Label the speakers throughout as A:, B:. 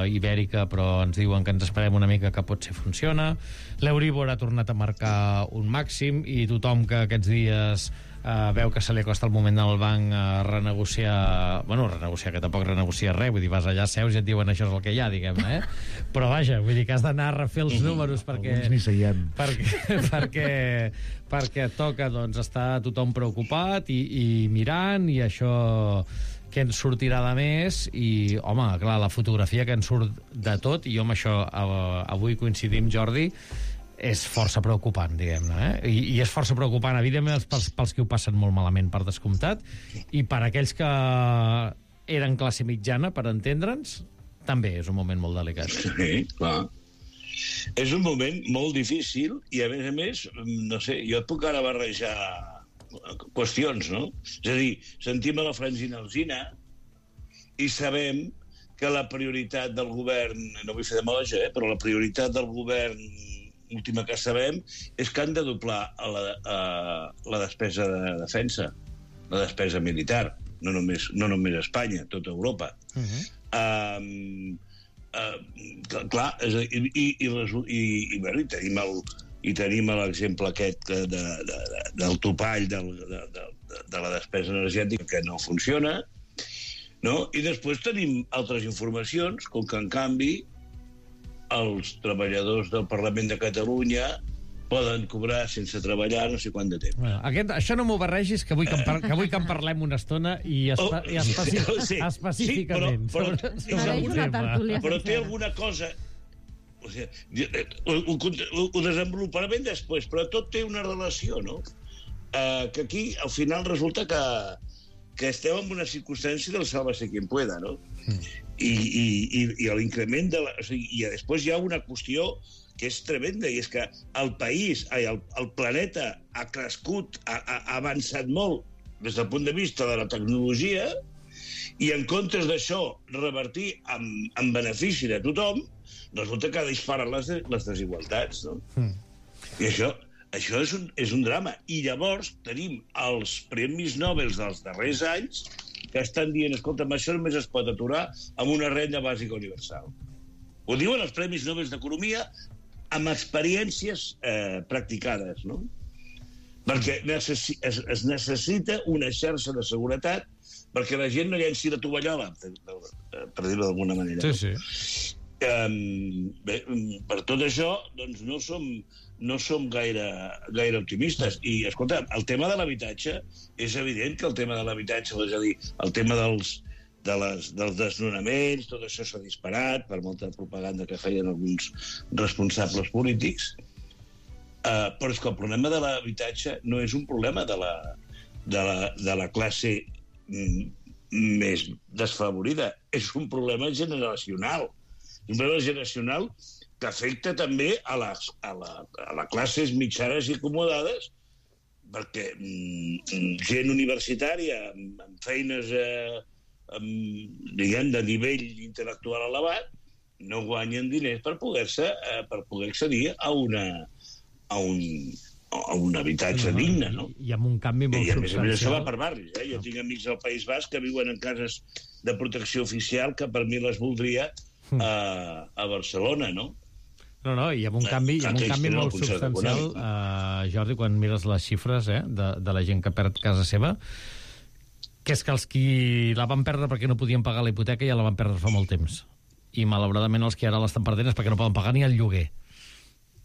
A: ibèrica, però ens diuen que ens esperem una mica, que potser funciona. L'Euríbor ha tornat a marcar un màxim i tothom que aquests dies veu que se li acosta el moment al banc a renegociar, que tampoc renegocia res, vull dir, vas allà, seus i et diuen això és el que hi ha, diguem-ne, però vaja, vull dir que has d'anar a refer els números perquè
B: alguns ni seiem
A: perquè toca, doncs, estar tothom preocupat i mirant, i això que ens sortirà de més. I, home, clar, la fotografia que ens surt de tot, i jo amb això avui coincidim, Jordi, és força preocupant, diguem-ne, I és força preocupant, evidentment, pels que ho passen molt malament, per descomptat, i per aquells que eren classe mitjana, per entendre'ns, també és un moment molt delicat.
C: Sí, clar. És un moment molt difícil i, a més, no sé, jo et puc ara barrejar qüestions, no? És a dir, sentim a la Francina Alsina i sabem que la prioritat del govern, no vull fer demagògia, però la prioritat del govern última que sabem és que han de doblar la despesa de defensa, la despesa militar, no només a Espanya, tota Europa. Clar, i tenim l'exemple aquest del topall de la despesa energètica que no funciona, no? I després tenim altres informacions, com que en canvi els treballadors del Parlament de Catalunya poden cobrar sense treballar no sé quant de temps.
A: Això no m'ho barregis, que vull que en parlem una estona i específicament
C: però té alguna cosa. O sigui, ho desenvoluparem després, però tot té una relació, no? Que aquí al final resulta que estem en una circumstància del sálvese quien pueda, no? I l'increment i després hi ha una qüestió que és tremenda, i és que el planeta ha crescut, ha avançat molt des del punt de vista de la tecnologia, i en comptes d'això revertir en benefici de tothom, resulta que disparen les desigualtats, no? I això és un drama. I llavors tenim els premis Nobel dels darrers anys que estan dient, escolta, això només es pot aturar amb una renda bàsica universal. Ho diuen els premis Nobel d'Economia amb experiències practicades, no? Perquè es necessita una xarxa de seguretat perquè la gent no llenci la tovallola, per dir-ho d'alguna manera.
A: Sí.
C: Bé, per tot això, doncs no som gaire optimistes. I, escolta, el tema de l'habitatge, és evident que el tema de l'habitatge, és a dir, el tema dels desnonaments, tot això s'ha disparat per molta propaganda que feien alguns responsables polítics, però és que el problema de l'habitatge no és un problema de la classe més desfavorida, és un problema generacional. Un problema generacional que afecta també a les classes mitjanes i acomodades, perquè gent universitària amb feines diguem de nivell intel·lectual elevat no guanyen diners per poder accedir a un habitatge digne, no?
A: I amb un canvi molt substancial.
C: I a més això va per barris, Jo tinc amics del País Basc que viuen en cases de protecció oficial que per mi les voldria a Barcelona, no?
A: No, i amb un canvi molt substancial, Jordi, quan mires les xifres de la gent que perd casa seva, que és que els qui la van perdre perquè no podien pagar la hipoteca ja la van perdre fa molt temps. I malauradament els que ara l'estan perdent és perquè no poden pagar ni el lloguer.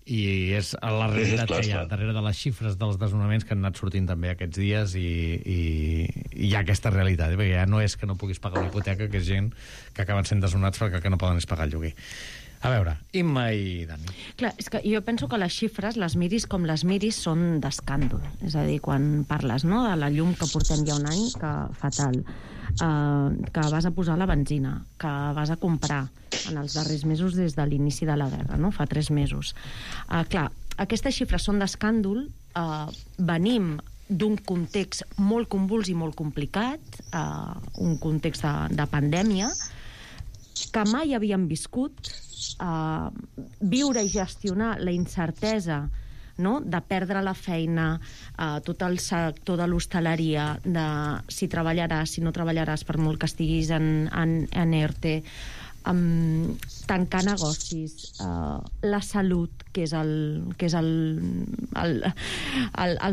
A: I és la realitat que hi ha darrere de les xifres dels desnonaments que han anat sortint també aquests dies, i hi ha aquesta realitat, perquè ja no és que no puguis pagar la hipoteca, que és gent que acaben sent desnonats perquè no poden pagar el lloguer. A veure, Imma i Dani.
D: Clar, és que jo penso que les xifres, les miris com les miris, són d'escàndol. És a dir, quan parles, no?, de la llum que portem ja un any, que fatal, que vas a posar la benzina, que vas a comprar en els darrers mesos des de l'inici de la guerra, no?, fa 3 mesos. Clar, aquestes xifres són d'escàndol, venim d'un context molt convuls i molt complicat, un context de pandèmia, que mai havíem viscut, viure i gestionar la incertesa, no?, de perdre la feina, tot el sector de l'hostaleria, de si treballaràs, si no treballaràs, per molt que estiguis en ERTE, tancar negocis, la salut, que és el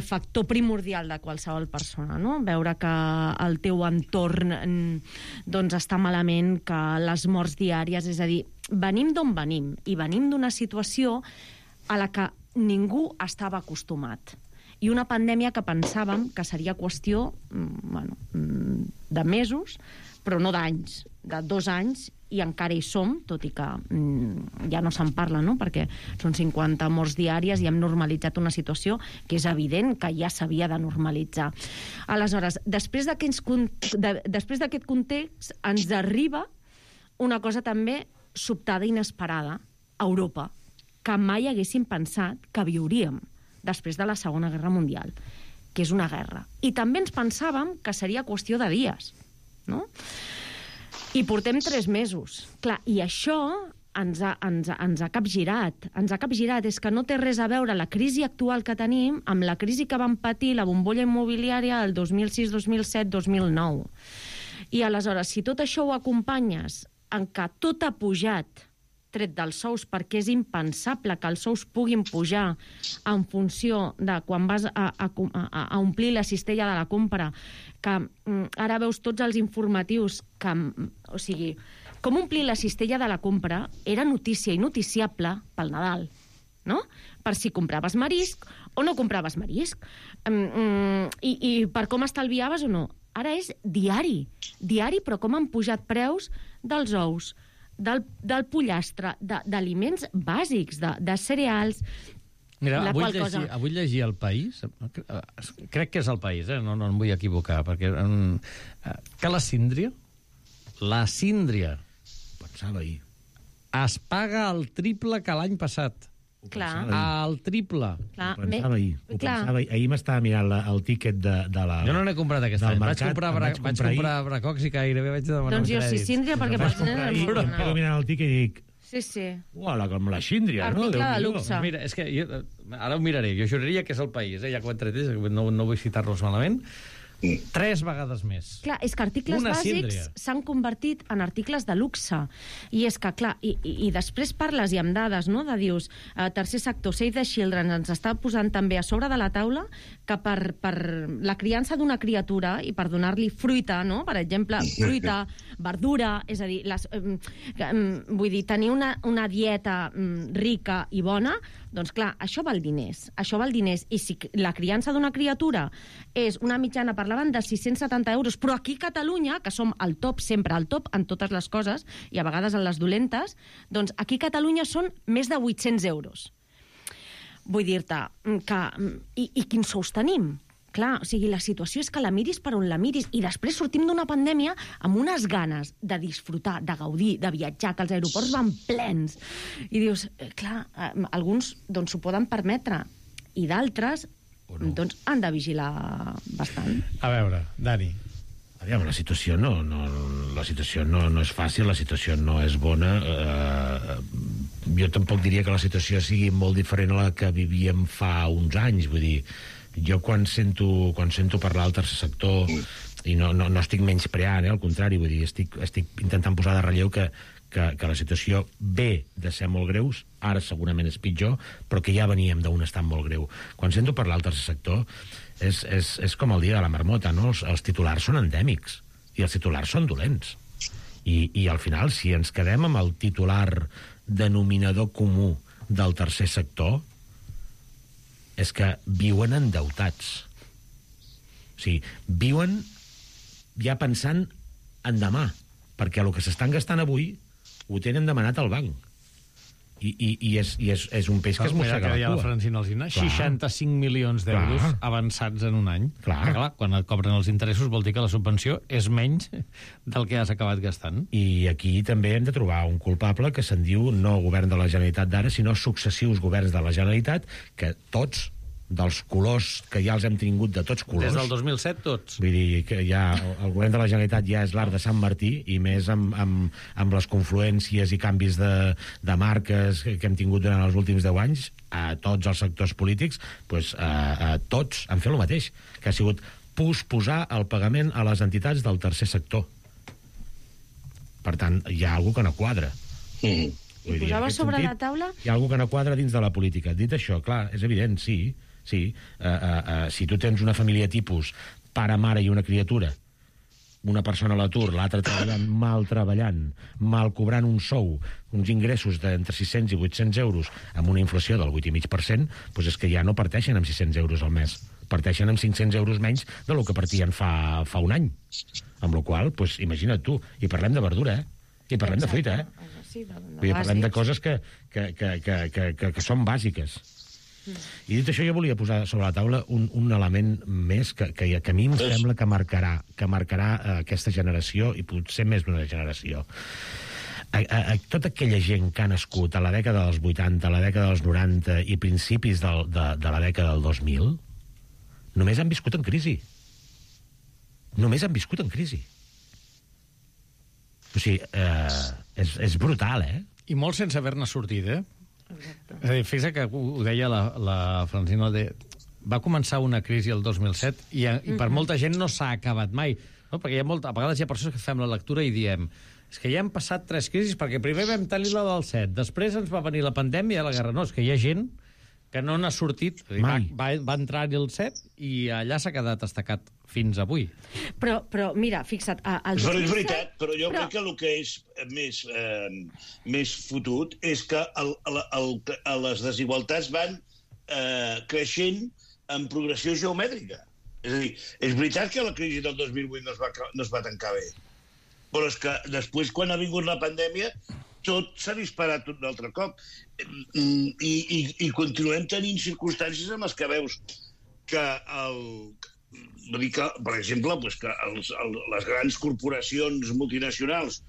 D: factor primordial de qualsevol persona, no? Veure que el teu entorn doncs està malament, que les morts diàries, és a dir, venim d'on venim, i venim d'una situació a la que ningú estava acostumat. I una pandèmia que pensàvem que seria qüestió de mesos, però no d'anys, de 2 anys, i encara hi som, tot i que ja no se'n parla, no? Perquè són 50 morts diàries i hem normalitzat una situació que és evident que ja s'havia de normalitzar. Aleshores, després d'aquest context, ens arriba una cosa també sobtada i inesperada a Europa, que mai haguéssim pensat que viuríem després de la Segona Guerra Mundial, que és una guerra. I també ens pensàvem que seria qüestió de dies, no? I portem 3 mesos. Clar, i això ens ha capgirat. Ens ha capgirat. És que no té res a veure la crisi actual que tenim amb la crisi que vam patir, la bombolla immobiliària, el 2006, 2007, 2009. I aleshores, si tot això ho acompanyes en què tot ha pujat, tret dels sous, perquè és impensable que els sous puguin pujar en funció de quan vas a omplir la cistella de la compra, que ara veus tots els informatius que, o sigui, com omplir la cistella de la compra era notícia i noticiable pel Nadal, no? Per si compraves marisc o no compraves marisc, i per com estalviaves o no. Ara és diari, però com han pujat preus dels ous, del pollastre, d'aliments bàsics, de cereals.
A: Mira, avui llegir El País, crec que és El País, no em vull equivocar, perquè que la síndria,
B: pensava ahir,
A: es paga el triple que l'any passat.
D: Clar.
A: El triple.
B: Ho pensava ahir. Ahir m'estava mirant el tíquet de la...
A: Jo no n'he comprat aquest any. Vaig comprar bracocs i gairebé vaig demanar
D: doncs jo sí, síndria, perquè
B: vaig comprar ahir, em quedo mirant el tíquet i dic...
D: Sí.
B: Uala, com la síndria, no?
D: Article de luxe.
A: Mira, és que ara ho miraré. Jo juraria que és El País, ja que ho he tret, no vull citar-los malament. 3 vegades més.
D: Clar, és que articles bàsics s'han convertit en articles de luxe. I és que, clar, i després parles i amb dades, no?, de dius, tercer sector, Save the Children, ens està posant també a sobre de la taula que per la criança d'una criatura i per donar-li fruita, no?, per exemple, fruita, verdura, és a dir, vull dir, tenir una dieta rica i bona, doncs clar, això val diners. I si la criança d'una criatura és una mitjana, parlaven de 670 euros, però aquí a Catalunya, que som al top, sempre al top en totes les coses, i a vegades en les dolentes, doncs aquí a Catalunya són més de 800 euros. Vull dir-te que... I quins sous tenim? Clar, o sigui, la situació és que la miris per on la miris, i després sortim d'una pandèmia amb unes ganes de disfrutar, de gaudir, de viatjar, que els aeroports van plens. I dius, clar, alguns doncs s'ho poden permetre, i d'altres doncs han de vigilar bastant.
A: A veure, Dani.
B: Aviam, la situació no és fàcil, la situació no és bona. Jo tampoc diria que la situació sigui molt diferent a la que vivíem fa uns anys, vull dir, jo quan sento parlar del tercer sector, i no estic menyspreant, al contrari, vull dir, estic intentant posar de relleu que la situació ve de ser molt greus, ara segurament és pitjor, però que ja veníem d'un estat molt greu. Quan sento parlar del tercer sector, és com el dia de la marmota, no? Els titulars són endèmics, i els titulars són dolents. I al final, si ens quedem amb el titular denominador comú del tercer sector, és que viuen endeutats. O sigui, viuen ja pensant en demà, perquè el que s'estan gastant avui ho tenen demanat al banc. I és un peix que es mossega la cua.
A: La Francina Alsina, 65 milions d'euros avançats en un any. Clar, quan et cobren els interessos vol dir que la subvenció és menys del que has acabat gastant.
B: I aquí també hem de trobar un culpable que se'n diu no govern de la Generalitat d'ara, sinó successius governs de la Generalitat, que tots, dels colors que ja els hem tingut de tots colors...
A: Des del 2007, tots.
B: Vull dir que ja el govern de la Generalitat ja és l'art de Sant Martí, i més amb les confluències i canvis de marques que hem tingut durant els últims 10 anys, a tots els sectors polítics, doncs, tots han fet el mateix, que ha sigut posposar el pagament a les entitats del tercer sector. Per tant, hi ha alguna que no quadra.
D: I posava sobre la taula...
B: Hi ha alguna que no quadra dins de la política. Dit això, clar, és evident, sí. Si tu tens una família tipus pare, mare i una criatura, una persona a l'atur, l'altra treballant, mal cobrant un sou, uns ingressos d'entre 600 i 800 euros, amb una inflació del 8,5%, doncs és que ja no parteixen amb 600 euros al mes. Parteixen amb 500 euros menys del que partien fa un any. Amb la qual cosa, imagina't tu, i parlem de verdura, I parlem de fruita,
D: Sí,
B: parlem de coses que són bàsiques. I dit això, jo volia posar sobre la taula un element més que a mi em sembla que marcarà aquesta generació i potser més d'una generació. Tota aquella gent que ha nascut a la dècada dels 80, a la dècada dels 90 i principis de la dècada del 2000 només han viscut en crisi. Només han viscut en crisi. O sigui, és brutal,
A: I molt sense haver-ne sortit, Exacte. És a dir, fixa't que ho deia la Francina, va començar una crisi el 2007 i per molta gent no s'ha acabat mai, no? Perquè a vegades hi ha persones que fem la lectura i diem és que ja hem passat 3 crisis perquè primer vam tenir la del 7, després ens va venir la pandèmia i la guerra. No, és que hi ha gent que no n'ha sortit, va entrar-hi el 7 i allà s'ha quedat estacat fins avui.
D: Però mira, fixa't...
C: És veritat, però jo crec que el que és més fotut és que les desigualtats van creixent en progressió geomètrica. És a dir, és veritat que la crisi del 2008 no es va tancar bé, però és que després, quan ha vingut la pandèmia, tot s'ha disparat un altre cop. I continuem tenint circumstàncies en les que veus que per exemple, que les grans corporacions multinacionals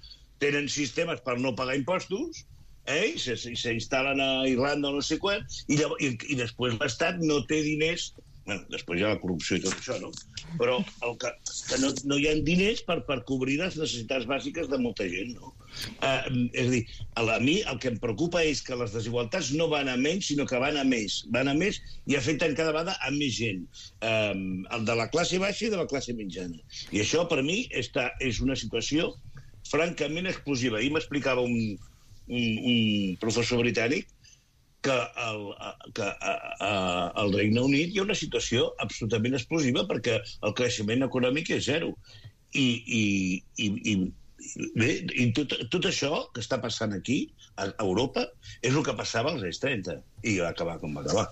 C: tenen sistemes per no pagar impostos, i s'instal·len a Irlanda o no sé quan, i després l'Estat no té diners. Bueno, després hi ha la corrupció i tot això, no? Però que no hi ha diners per cobrir les necessitats bàsiques de molta gent, no? És a dir, a mi el que em preocupa és que les desigualtats no van a menys, sinó que van a més. Van a més i afecten cada vegada a més gent. El de la classe baixa i de la classe mitjana. I això, per mi, és una situació francament explosiva. Ahir m'explicava un professor britànic que al Regne Unit hi ha una situació absolutament explosiva perquè el creixement econòmic és zero. I tot això que està passant aquí, a Europa, és el que passava als anys 30. I va acabar com va acabar.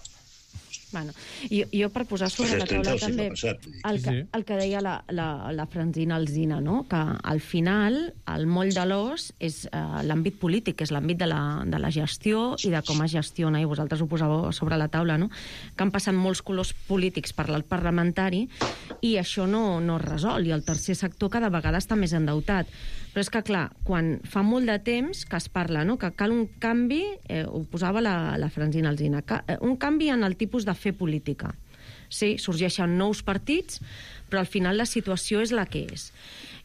D: Bueno, jo per posar sobre la taula també el que deia la Francina Alsina, no? Que al final el moll de l'os és l'àmbit polític, és l'àmbit de la gestió i de com es gestiona, i vosaltres ho posàveu sobre la taula, no? Que han passat molts colors polítics per l'alt parlamentari i això no es resol, i el tercer sector cada vegada està més endeutat. Però és que, clar, quan fa molt de temps que es parla, no? Que cal un canvi, ho posava la Francina Alsina, un canvi en el tipus de fer política. Sí, sorgeixen nous partits, però al final la situació és la que és.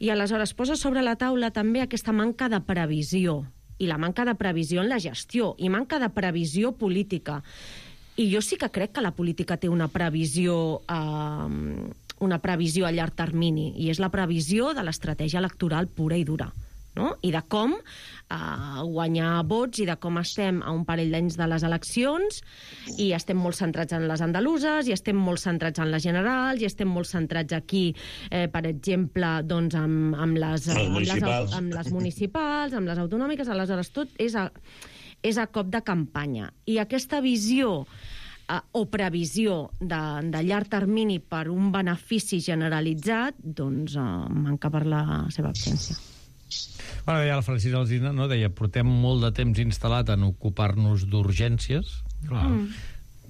D: I aleshores posa sobre la taula també aquesta manca de previsió, i la manca de previsió en la gestió, i manca de previsió política. I jo sí que crec que la política té una previsió a llarg termini, i és la previsió de l'estratègia electoral pura i dura, no? I de com guanyar vots, i de com estem a un parell d'anys de les eleccions, i estem molt centrats en les andaluses, i estem molt centrats en les generals, i estem molt centrats aquí, per exemple, doncs, amb les municipals, amb les autonòmiques. Aleshores, tot és a cop de campanya. I aquesta visió o previsió de llarg termini per un benefici generalitzat, doncs manca per la seva absència.
A: Bueno, deia la Francina Alsina, no? Deia, portem molt de temps instal·lat en ocupar-nos d'urgències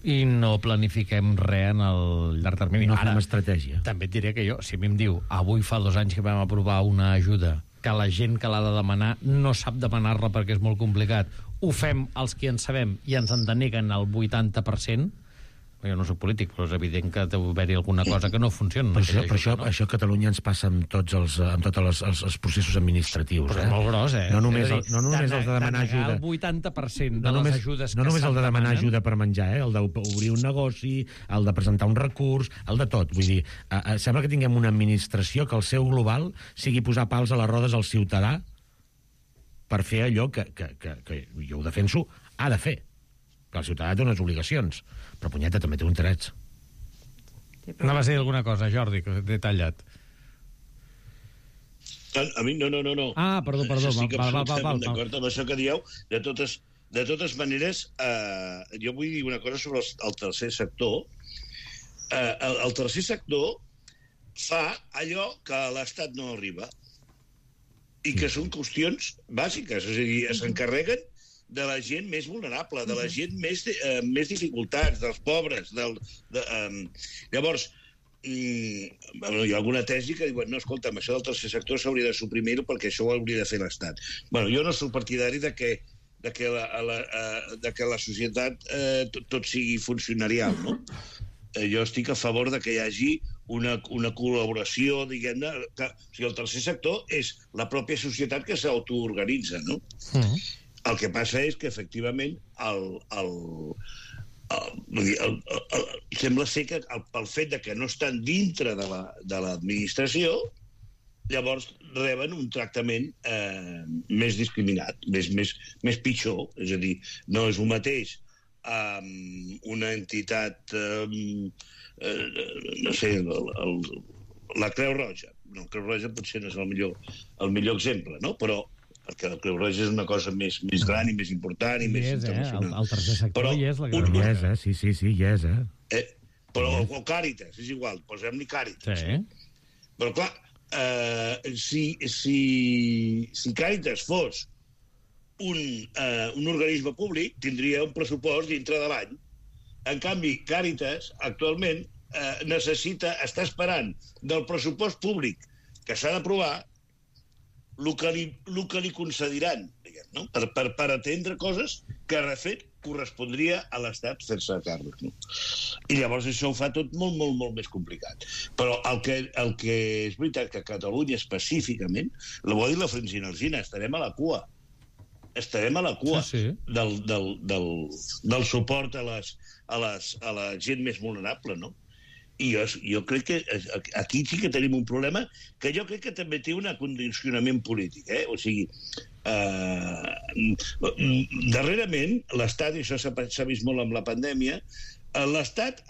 A: i no planifiquem res en el llarg termini.
B: No fem estratègia.
A: També et diré que jo, si a mi em diu avui fa 2 anys que vam aprovar una ajuda que la gent que l'ha de demanar no sap demanar-la perquè és molt complicat, ho fem els que en sabem i ens en deneguen el 80%, jo no soc polític, però és evident que deu haver-hi alguna cosa que no funciona.
B: Per això a Catalunya ens passa amb tots els processos administratius.
A: Però és molt gros,
B: No només el de demanar ajuda.
A: El 80% de les ajudes que
B: no només el de demanar ajuda per menjar, el d'obrir un negoci, el de presentar un recurs, el de tot. Vull dir, sembla que tinguem una administració que el seu global sigui posar pals a les rodes al ciutadà per fer allò que jo ho defenso, ha de fer. Que el ciutadà té unes obligacions, però punyeta també té uns drets.
A: Anava a dir alguna cosa, Jordi, que t'he tallat.
C: A mi, no.
A: Ah, perdó.
C: Estic absolutament d'acord amb això que dieu. De totes maneres, jo vull dir una cosa sobre el tercer sector. El tercer sector fa allò que a l'Estat no arriba i que són qüestions bàsiques, és a dir, s'encarreguen de la gent més vulnerable, de la gent més dificultats, dels pobres. Llavors, hi ha alguna tesi que diuen, no, escolta'm, això del tercer sector s'hauria de suprimir-ho perquè això ho hauria de fer l'Estat. Jo no soc partidari de que la societat tot sigui funcionarial, no? Jo estic a favor de que hi hagi una col·laboració, diguem-ne, o sigui, el tercer sector és la pròpia societat que s'autoorganitza, no? El que passa és que, efectivament, sembla ser que pel fet de que no estan dintre de l'administració, llavors reben un tractament més discriminat, més pitjor. És a dir, no és el mateix una entitat, no sé, la Creu Roja. No, la Creu Roja potser no és el millor exemple, no? Però perquè la Creu Roja és una cosa més gran i més important i més internacional.
A: El tercer sector hi és, la Creu
B: Roja. Sí, hi és,
C: Però, o Càritas, és igual, posem-li Càritas.
A: Sí.
C: Però, clar, si Càritas fos un organisme públic, tindria un pressupost dintre de l'any. En canvi, Càritas, actualment, està esperant del pressupost públic que s'ha d'aprovar el que li concediran, no? Per atendre coses que, de fet, correspondria a l'Estat fer-se a càrrec. No? I llavors això ho fa tot molt, molt, molt més complicat. Però el que és veritat que a Catalunya específicament, ho ha dit la Francina Alsina, estarem a la cua. Estarem a la cua del suport a la gent més vulnerable, no? I jo crec que aquí sí que tenim un problema que jo crec que també té un condicionament polític. O sigui, darrerament, l'Estat, i això s'ha vist molt amb la pandèmia, l'Estat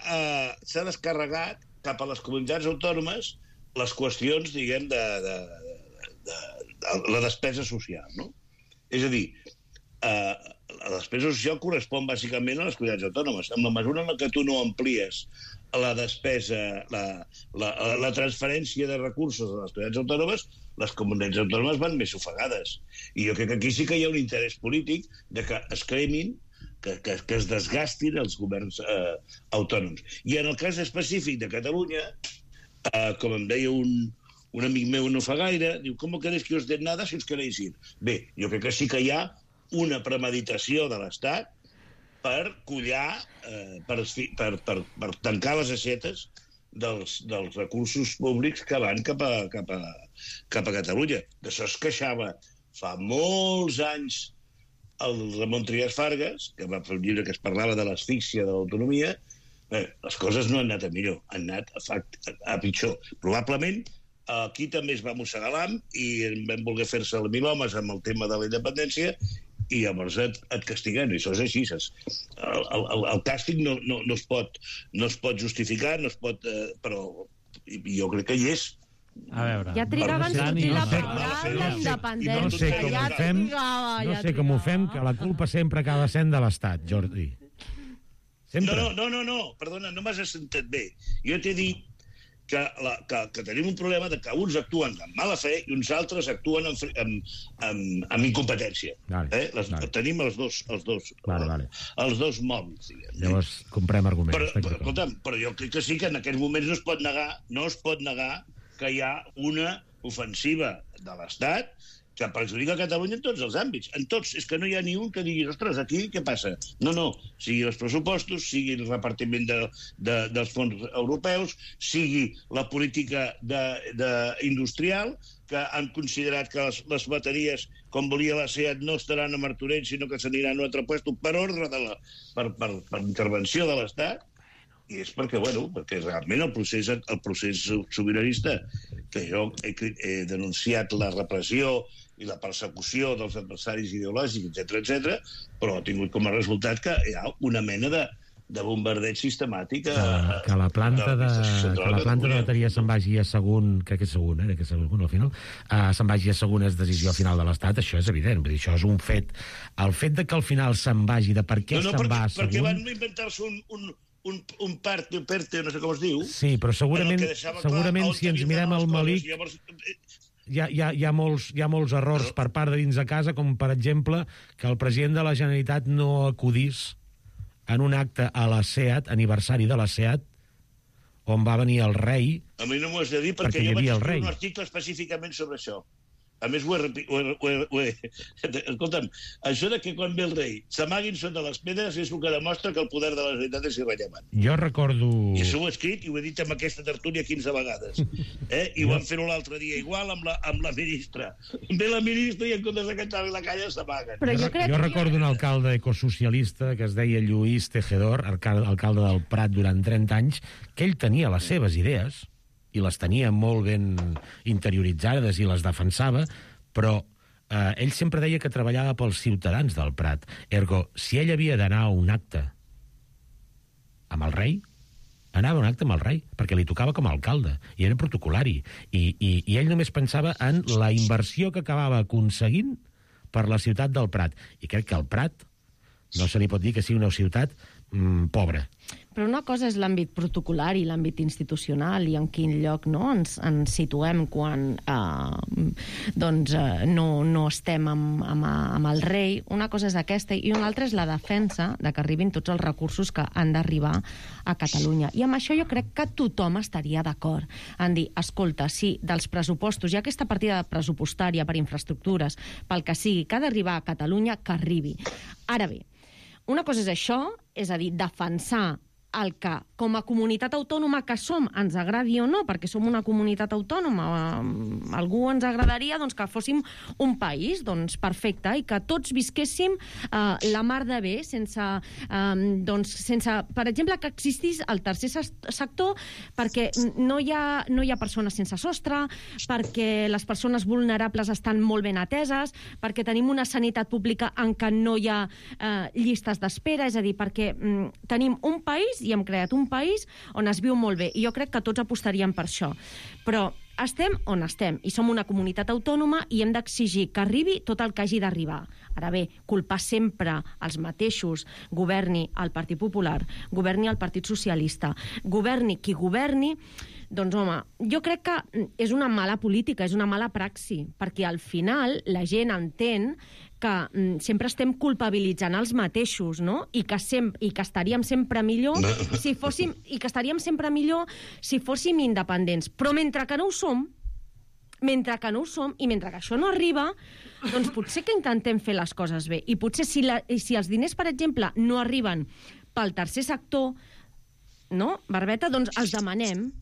C: s'ha descarregat cap a les comunitats autònomes les qüestions, diguem, de la despesa social, no? És a dir, la despesa social correspon bàsicament a les comunitats autònomes. En la mesura en què tu no amplies la despesa, la transferència de recursos a les comunitats autònomes, les comunitats autònomes van més ofegades. I jo crec que aquí sí que hi ha un interès polític de que es cremin, que es desgastin els governs autònoms. I en el cas específic de Catalunya, com em deia un amic meu no fa gaire, diu, ¿cómo queréis que os den nada si os queréis ir? Bé, jo crec que sí que hi ha una premeditació de l'Estat per collar, per tancar les aixetes dels recursos públics que van cap a Catalunya. D'això es queixava fa molts anys el Ramon Trias Fargas, que va fer un llibre que es parlava de l'asfíxia de l'autonomia. Les coses no han anat a millor, han anat a pitjor. Probablement aquí també es va mossegar l'ham i vam voler fer-se el milhomes amb el tema de la independència i llavors et castiguen, i això és així. El càstig no es pot justificar, però jo crec que hi és.
A: A veure...
D: Ja trigaven a sortir la paraula la independència.
B: No sé com ho fem, que la culpa sempre acaba sent de l'Estat, Jordi. Sempre.
C: No, perdona, no m'has sentit bé. Jo t'he dit que tenim un problema de que uns actuen amb mala fe i uns altres actuen amb incompetència. Tenim els dos mòbils.
B: Llavors comprem arguments.
C: Però jo crec que sí que en aquests moments no es pot negar que hi ha una ofensiva de l'Estat que perjudica Catalunya en tots els àmbits. En tots. És que no hi ha ni un que digui, ostres, aquí què passa? No. Sigui els pressupostos, sigui el repartiment dels fons europeus, sigui la política industrial, que han considerat que les bateries, com volia la SEAT, no estaran a Martorell, sinó que s'aniran a un altre lloc per ordre per intervenció de l'Estat. I és perquè realment el procés sobiranista, que jo he denunciat la repressió i la persecució dels adversaris ideològics, etc, però ha tingut com a resultat que hi ha una mena de bombardeig sistemàtic
B: que la planta de bateria se'n vagi a Sagunt, crec que és Sagunt, que és Sagunt al final, se'n vagi a Sagunt és decisió final de l'Estat, això és evident, vull dir, això és un fet. El fet de que al final se'n vagi, de per què se'n va a Sagunt...
C: Perquè van inventar-se un PERTE, no sé com es diu...
B: Sí, però segurament si ens mirem el malic... Hi ha molts errors per part de dins de casa, com per exemple que el president de la Generalitat no acudís en un acte a la SEAT, aniversari de la SEAT, on va venir el rei...
C: A mi no m'ho has de dir perquè jo vaig escriure un article específicament sobre això. A més, escolta'm, això de que quan ve el rei s'amaguin sota les pedres és el que demostra que el poder de la Generalitat és irrellevant.
B: Jo recordo...
C: I això ho he escrit i ho he dit amb aquesta tertúlia 15 vegades. I ho vam fer l'altre dia igual amb la ministra. Ve la ministra i en comptes de cantar-li la calla s'amaguen.
B: Jo recordo un alcalde ecosocialista que es deia Lluís Tejedor, alcalde del Prat durant 30 anys, que ell tenia les seves idees, i les tenia molt ben interioritzades i les defensava, però ell sempre deia que treballava pels ciutadans del Prat. Ergo, si ell havia d'anar a un acte amb el rei, anava a un acte amb el rei, perquè li tocava com a alcalde, i era protocolari. I ell només pensava en la inversió que acabava aconseguint per la ciutat del Prat. I crec que el Prat no se li pot dir que sigui una ciutat pobra.
D: Però una cosa és l'àmbit protocolari, l'àmbit institucional i en quin lloc ens situem quan no estem amb el rei. Una cosa és aquesta i una altra és la defensa de que arribin tots els recursos que han d'arribar a Catalunya. I amb això jo crec que tothom estaria d'acord en dir, escolta, si dels pressupostos hi ha aquesta partida pressupostària per infraestructures, pel que sigui, que ha d'arribar a Catalunya, que arribi. Ara bé, una cosa és això, és a dir, defensar el que, com a comunitat autònoma que som, ens agradi o no, perquè som una comunitat autònoma, algú ens agradaria que fóssim un país, doncs perfecte, i que tots visquéssim la mar de bé, sense, per exemple, que existís el tercer sector, perquè no hi ha persones sense sostre, perquè les persones vulnerables estan molt ben ateses, perquè tenim una sanitat pública en què no hi ha llistes d'espera, és a dir, perquè tenim un país i hem creat un país on es viu molt bé. I jo crec que tots apostaríem per això. Però estem on estem i som una comunitat autònoma i hem d'exigir que arribi tot el que hagi d'arribar. Ara bé, culpar sempre els mateixos, governi el Partit Popular, governi el Partit Socialista, governi qui governi, doncs home, jo crec que és una mala política, és una mala praxi, perquè al final la gent entén que sempre estem culpabilitzant els mateixos, no? I que estaríem sempre millor si fóssim independents. Però mentre que no ho som, i mentre que això no arriba, doncs potser que intentem fer les coses bé. I potser si els diners, per exemple, no arriben pel tercer sector, no, Barbeta, doncs els demanem.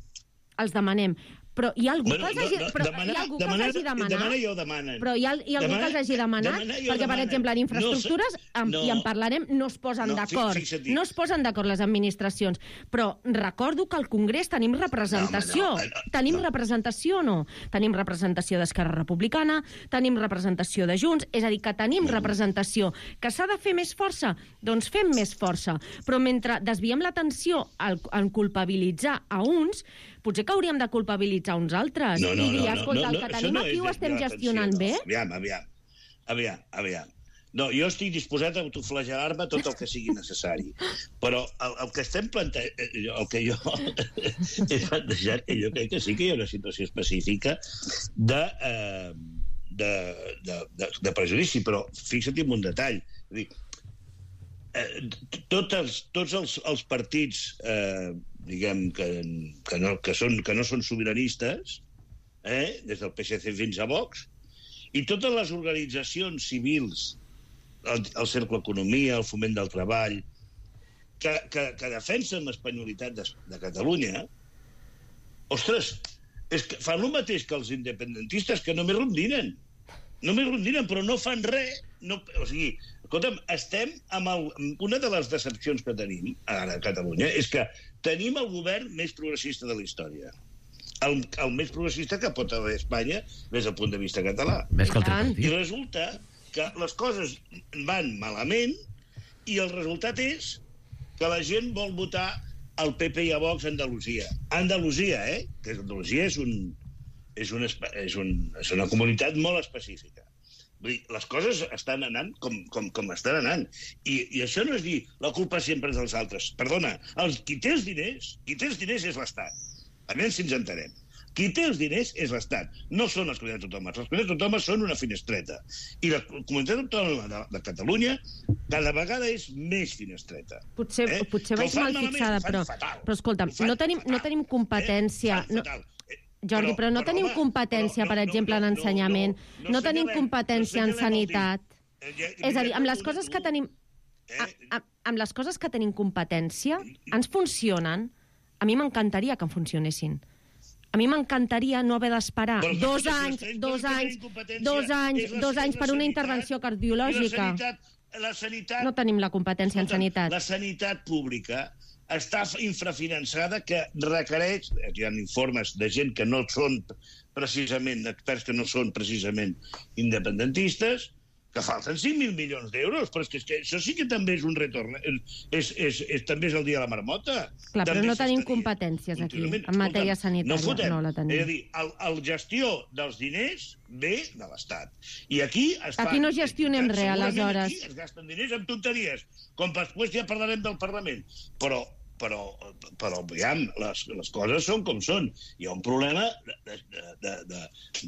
D: Però hi ha algú que els hagi demanat.
C: Demana i ho demanen.
D: Però hi ha algú que els hagi demanat, perquè, per exemple, en infraestructures, i en parlarem, no es posen d'acord. No es posen d'acord les administracions. Però recordo que al Congrés tenim representació. Tenim representació o no? Tenim representació d'Esquerra Republicana, tenim representació de Junts, és a dir, que tenim representació. Que s'ha de fer més força? Doncs fem més força. Però mentre desviem l'atenció en culpabilitzar a uns, potser que hauríem de culpabilitzar uns altres i dir, escolta, el que tenim aquí ho estem gestionant bé?
C: Aviam. No, jo estic disposat a autoflagelar-me tot el que sigui necessari. Però el que estem plantejant, el que jo he plantejat, jo crec que sí que hi ha una situació específica de prejudici, però fixa't en un detall. És dir, tots els partits diguem que no són sobiranistes, des del PSC fins a Vox, i totes les organitzacions civils, el Cercle Economia, el Foment del Treball, que defensen l'espanyolitat de Catalunya, ostres, és que fan el mateix que els independentistes, que només rondinen, però no fan res. O sigui, escolta'm, estem amb una de les decepcions que tenim ara a Catalunya és que tenim el govern més progressista de la història. el més progressista que pot haver Espanya des del punt de vista català.
B: Més que el tripartit.
C: I resulta que les coses van malament i el resultat és que la gent vol votar el PP i a Vox a Andalusia. Andalusia, que Andalusia és una comunitat molt específica. Vull dir, les coses estan anant com estan anant. I això no és dir la culpa sempre és dels altres. Perdona, qui té els diners és l'Estat. A veure si ens entenem. Qui té els diners és l'Estat. No són les comunitats autònomes. Les comunitats autònomes són una finestreta. I la comunitat autònoma de Catalunya cada vegada és més finestreta.
D: Potser vaig mal fixada, però escolta'm, no tenim competència... Jordi, però no tenim competència, per exemple, en ensenyament, no tenim competència en sanitat. És a dir, amb les coses que tenim... Amb les coses que tenim competència, ens funcionen. A mi m'encantaria que em funcionessin. A mi m'encantaria no haver d'esperar 2 anys per una intervenció cardiològica. No tenim la competència en sanitat.
C: La sanitat pública està infrafinançada, que requereix... Hi ha informes de gent que no són precisament, experts que no són precisament independentistes, que falten 5.000 milions d'euros, però és que això sí que també és un retorn. També és el dia de la marmota.
D: Clar, però no tenim competències aquí, en matèria sanitària. No la tenim.
C: És a dir, la gestió dels diners ve de l'Estat. I aquí es fa...
D: Aquí no gestionem res, aleshores.
C: Aquí es gasten diners en tonteries, com després ja parlarem del Parlament. Però aviam, les coses són com són. Hi ha un problema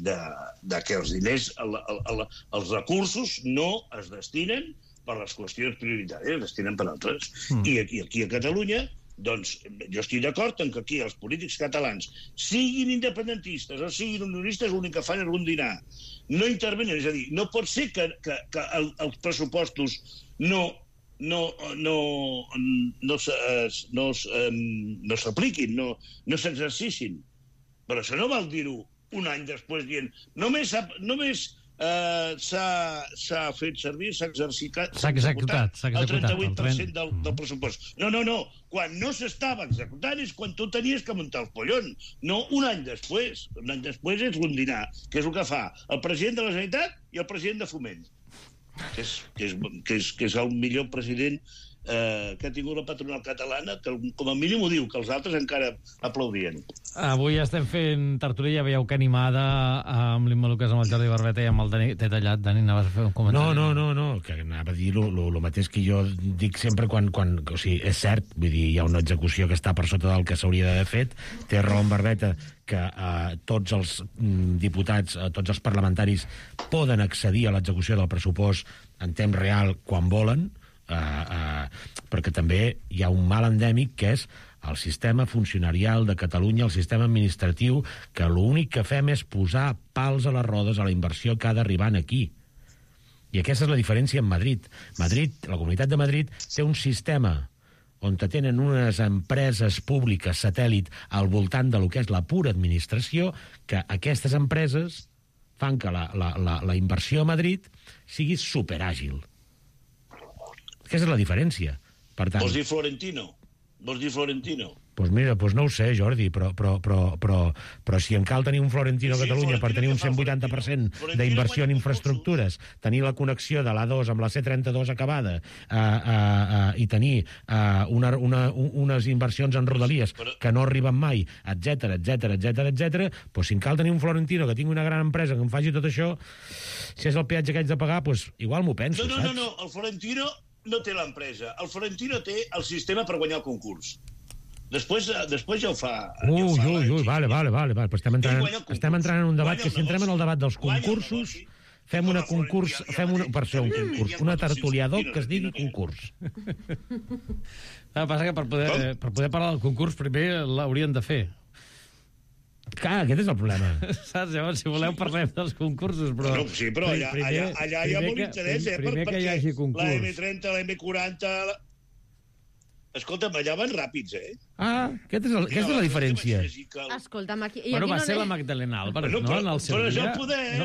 C: de que els diners, els recursos no es destinen per les qüestions prioritàries, es destinen per altres. I aquí a Catalunya, doncs, jo estic d'acord en que aquí els polítics catalans, siguin independentistes o siguin unionistes, l'únic que fan és rondinar. No intervenen, és a dir, no pot ser que els pressupostos no s'apliquin, no s'exercicin. Però això no val dir-ho un any després dient només s'ha fet servir, s'ha executat el 38% del pressupost. No. Quan no s'estava executant és quan tu tenies que muntar el pollon. No un any després. Un any després és rondinar, que és el que fa el president de la Generalitat i el president de Foment. Que és el millor president que ha tingut la patronal catalana, que com a mínim ho diu, que els altres encara aplaudien.
A: Avui estem fent tertúlia, veieu que animada, amb l'Imma Lucas, amb el Jordi Barbeta i amb el Dani. T'he tallat, Dani, anaves a fer un comentari?
B: No, que anava a dir el mateix que jo dic sempre quan... O sigui, és cert, vull dir, hi ha una execució que està per sota del que s'hauria d'haver fet. Té raó en Barbeta que tots els diputats, tots els parlamentaris poden accedir a l'execució del pressupost en temps real quan volen, perquè també hi ha un mal endèmic que és el sistema funcionarial de Catalunya, el sistema administratiu, que l'únic que fem és posar pals a les rodes a la inversió que ha d'arribar aquí. I aquesta és la diferència amb Madrid. La Comunitat de Madrid té un sistema on tenen unes empreses públiques satèl·lit al voltant de lo que és la pura administració, que aquestes empreses fan que la inversió a Madrid sigui superàgil. Aquesta és la diferència. Per tant...
C: Vols dir Florentino?
B: Doncs mira, no ho sé, Jordi, però si en cal tenir un Florentino a Catalunya per tenir un 180% d'inversió en infraestructures, tenir la connexió de l'A2 amb la C32 acabada i tenir unes inversions en rodalies que no arriben mai, etcètera, doncs si en cal tenir un Florentino que tingui una gran empresa que em faci tot això, si és el peatge que haig de pagar, doncs igual m'ho penso, saps?
C: No, el Florentino no té l'empresa. El Florentino té el sistema per guanyar el concurs. Després ja ho fa...
B: Vale. Però estem entrant en un debat que si entrem en el debat dels concursos, fem una tertuliador que es digui concurs.
A: El que passa que per poder parlar del concurs primer l'haurien de fer.
B: Clar, aquest és el problema.
A: Saps? Llavors, si voleu, parlem dels concursos, però...
C: No, sí, però allà hi ha molt interès,
A: primer que hi hagi concurs.
C: La M30, la M40... Escolta'm, allà van ràpids,
B: aquesta és la diferència.
D: Escolta'm, aquí...
A: Bueno, va ser la Magdalena Álvarez, no? En el seu dia.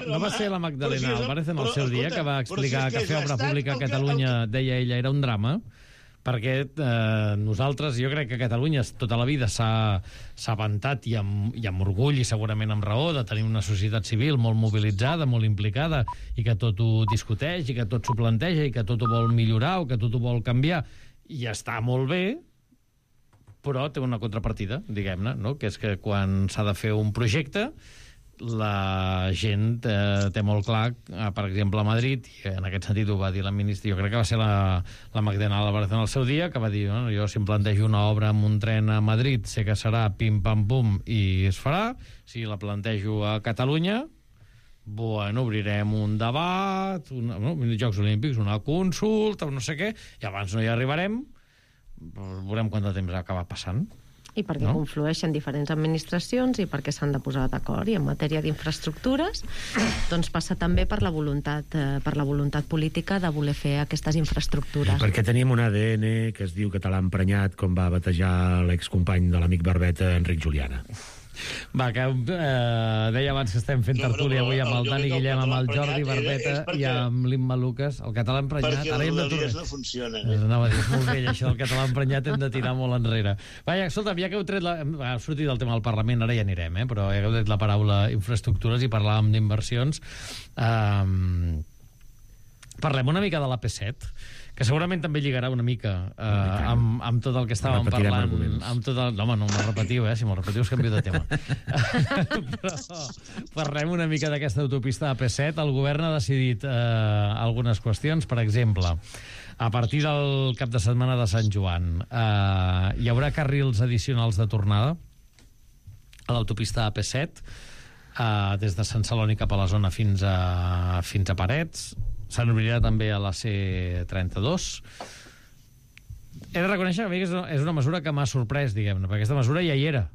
A: No va ser la Magdalena Álvarez en el seu dia, que va explicar que fer obra pública a Catalunya, deia ella, era un drama. perquè nosaltres, jo crec que Catalunya tota la vida s'ha vantat i amb orgull i segurament amb raó de tenir una societat civil molt mobilitzada, molt implicada, i que tot ho discuteix, i que tot s'ho planteja, i que tot ho vol millorar o que tot ho vol canviar, i està molt bé, però té una contrapartida, diguem-ne, no? Que és que quan s'ha de fer un projecte, la gent té molt clar, per exemple, a Madrid, i en aquest sentit ho va dir la ministra, jo crec que va ser la Magdalena Álvarez en el seu dia, que va dir, no, jo si em plantejo una obra amb un tren a Madrid, sé que serà pim-pam-pum i es farà, si la plantejo a Catalunya, bueno, obrirem un debat, Jocs Olímpics, una consulta, no sé què, i abans no hi arribarem, veurem quant de temps acaba passant.
D: I perquè conflueixen diferents administracions i perquè s'han de posar d'acord. I en matèria d'infraestructures, doncs passa també per la voluntat política de voler fer aquestes infraestructures.
B: Perquè tenim un ADN que es diu català emprenyat, com va batejar l'excompany de l'amic Barbeta, Enric Juliana.
A: Va, que deia abans que estem fent tertúlia avui amb el Dani Guillem, amb el Jordi Barbeta i amb l'Imma Lucas. El català emprenyat...
C: Perquè les rodalies no funcionen.
A: Anava a dir, és molt vell, això del català emprenyat, hem de tirar molt enrere. Vaja, escolta, ja que heu tret ha sortit el tema del Parlament, ara ja anirem, però ja que heu tret la paraula infraestructures i parlàvem d'inversions, parlem una mica de l'AP7, que segurament també lligarà una mica amb tot el que estàvem parlant. Home, no m'ho repetiu, si m'ho repetiu us canvio de tema. Però parlem una mica d'aquesta autopista AP7. El govern ha decidit algunes qüestions. Per exemple, a partir del cap de setmana de Sant Joan hi haurà carrils addicionals de tornada a l'autopista AP7 des de Sant Celoni cap a la zona fins a Parets. S'obrirà també a la C32. He de reconèixer que és una mesura que m'ha sorprès, diguem-ne, perquè aquesta mesura ja hi era.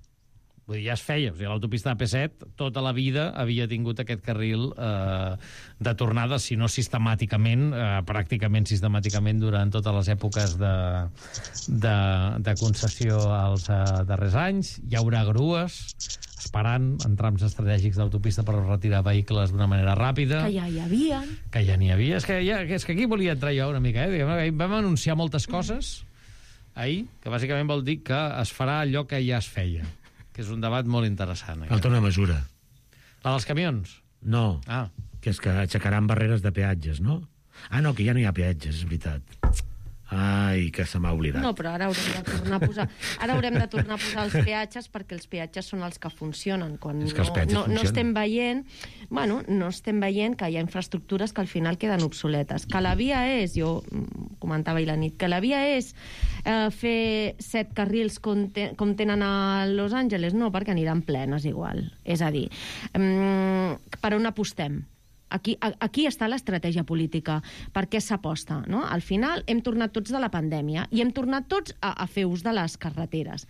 A: Vull dir, ja es feia. O sigui, l'autopista AP7 tota la vida havia tingut aquest carril de tornada, si no sistemàticament, pràcticament sistemàticament durant totes les èpoques de concessió als darrers anys. Hi haurà grues esperant en trams estratègics d'autopista per retirar vehicles d'una manera ràpida.
D: Que ja hi havia.
A: Que ja n'hi havia. És que aquí volia entrar jo una mica. Vam anunciar moltes coses ahir, que bàsicament vol dir que es farà allò que ja es feia, que és un debat molt interessant.
B: Falta una mesura.
A: La dels camions?
B: No, que és que aixecaran barreres de peatges, no? No, que ja no hi ha peatges, és veritat. Ai, que se m'ha oblidat.
D: No, però ara haurem de tornar a posar els peatges, perquè els peatges són els que funcionen. Quan
B: és que els peatges funcionen.
D: No estem veient que hi ha infraestructures que al final queden obsoletes. Que la via és, jo comentava ahir la nit, que la via és fer 7 carrils com tenen a Los Angeles, no, perquè aniran plenes igual. És a dir, per on apostem? Aquí està l'estratègia política. Per què s'aposta? No? Al final hem tornat tots de la pandèmia i hem tornat tots a fer ús de les carreteres.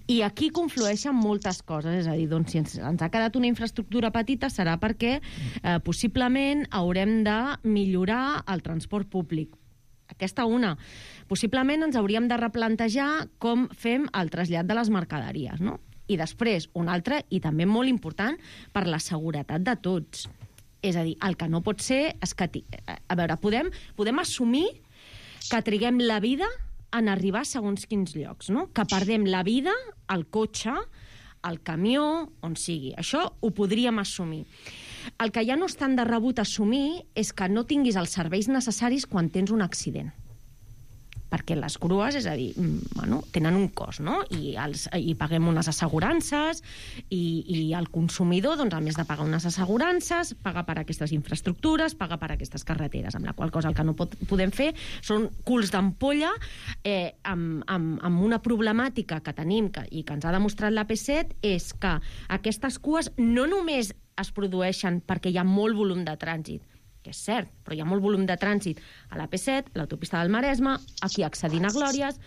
D: I aquí conflueixen moltes coses. És a dir, doncs, si ens ha quedat una infraestructura petita serà perquè possiblement haurem de millorar el transport públic. Aquesta una. Possiblement ens hauríem de replantejar com fem el trasllat de les mercaderies. No? I després, una altra, i també molt important, per la seguretat de tots. És a dir, el que no pot ser és que... A veure, podem assumir que triguem la vida en arribar a segons quins llocs, no? Que perdem la vida al cotxe, al camió, on sigui. Això ho podríem assumir. El que ja no és tan de rebut assumir és que no tinguis els serveis necessaris quan tens un accident. Perquè les grues, és a dir, tenen un cost, no? I paguem unes assegurances i el consumidor, doncs, a més de pagar unes assegurances, paga per aquestes infraestructures, paga per aquestes carreteres, amb la qual cosa el que no podem fer són culs d'ampolla amb una problemàtica que tenim i que ens ha demostrat l'AP7 és que aquestes cues no només es produeixen perquè hi ha molt volum de trànsit, que és cert, però hi ha molt volum de trànsit a l'AP7, a l'autopista del Maresme, aquí accedint a Glòries,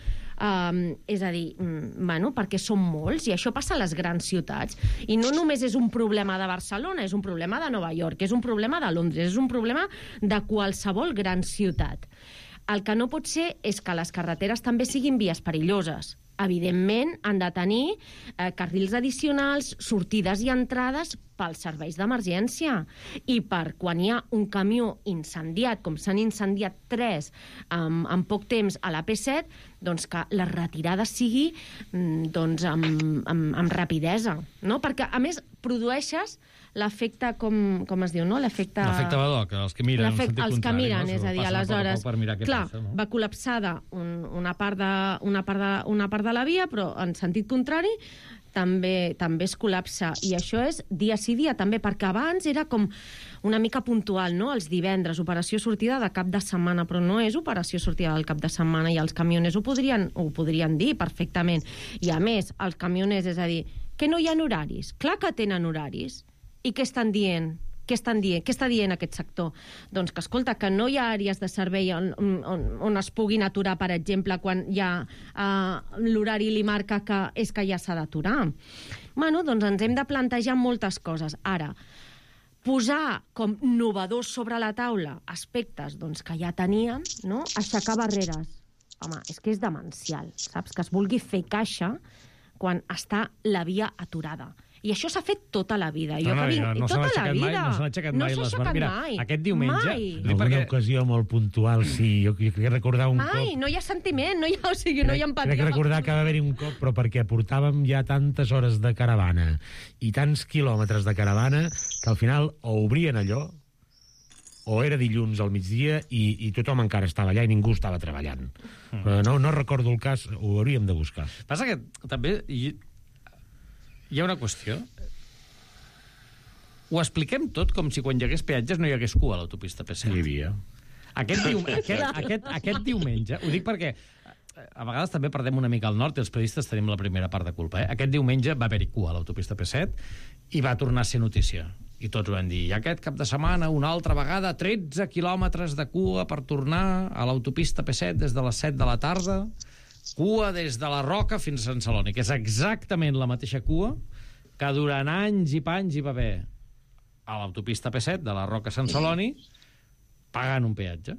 D: és a dir, perquè són molts, i això passa a les grans ciutats. I no només és un problema de Barcelona, és un problema de Nova York, és un problema de Londres, és un problema de qualsevol gran ciutat. El que no pot ser és que les carreteres també siguin vies perilloses. Evidentment, han de tenir carrils addicionals, sortides i entrades pels serveis d'emergència i per quan hi ha un camió incendiat, com s'han incendiat 3 en poc temps a la P7, doncs que la retirada sigui doncs, amb rapidesa, no? Perquè, a més, produeixes l'efecte, com es diu, no? L'efecte
A: Badoc, els que miren en sentit contrari.
D: Els que miren, és a dir, aleshores,
A: clar,
D: va col·lapsada una part de la via, però en sentit contrari també es col·lapsa. I això és dia sí dia, també, perquè abans era com una mica puntual, no? Els divendres, operació sortida de cap de setmana, però no és operació sortida del cap de setmana, i els camioners ho podrien dir perfectament. I a més, els camioners, és a dir, que no hi ha horaris. Clar que tenen horaris. I què estan dient? Què està dient aquest sector? Doncs que, escolta, que no hi ha àrees de servei on es puguin aturar, per exemple, quan ja l'horari li marca que és que ja s'ha d'aturar. Bueno, doncs ens hem de plantejar moltes coses. Ara, posar com novedors sobre la taula aspectes doncs, que ja tenien, no? Aixecar barreres. Home, és que és demencial, saps? Que es vulgui fer caixa quan està la via aturada. I això s'ha fet tota la vida.
A: No s'han aixecat mai les barres. Mira, aquest diumenge...
B: En alguna ocasió molt puntual, sí. Jo crec recordar un cop...
D: Mai, no hi ha sentiment, no hi ha empatia.
B: Crec recordar que va haver-hi un cop, però perquè portàvem ja tantes hores de caravana i tants quilòmetres de caravana que al final o obrien allò o era dilluns al migdia i tothom encara estava allà i ningú estava treballant. No recordo el cas, ho hauríem de buscar.
A: Passa que també... Hi ha una qüestió. Ho expliquem tot com si quan hi hagués peatges no hi hagués cua a l'autopista P7.
B: Hi havia.
A: Aquest diumenge, ho dic perquè a vegades també perdem una mica al nord i els periodistes tenim la primera part de culpa. Aquest diumenge va haver-hi cua a l'autopista P7 i va tornar a ser notícia. I tots ho van dir. I aquest cap de setmana, una altra vegada, 13 quilòmetres de cua per tornar a l'autopista P7 des de les 7 de la tarda... Cua des de la Roca fins a Sant Celoni, que és exactament la mateixa cua que durant anys i panys hi va haver a l'autopista P7 de la Roca a Sant Celoni pagant un peatge.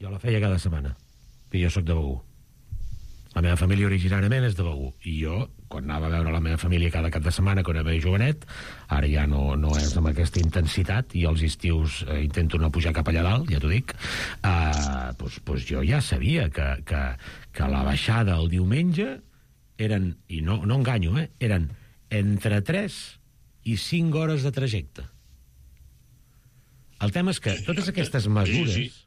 B: Jo la feia cada setmana, que jo sóc de Begur. La meva família originàriament és de Begur. I jo, quan anava a veure la meva família cada cap de setmana, quan era jovenet, ara ja no és amb aquesta intensitat, i els estius intento no pujar cap allà dalt, ja t'ho dic, doncs jo ja sabia que la baixada el diumenge eren, i no enganyo, eren entre 3 i 5 hores de trajecte. El tema és que totes aquestes mesures...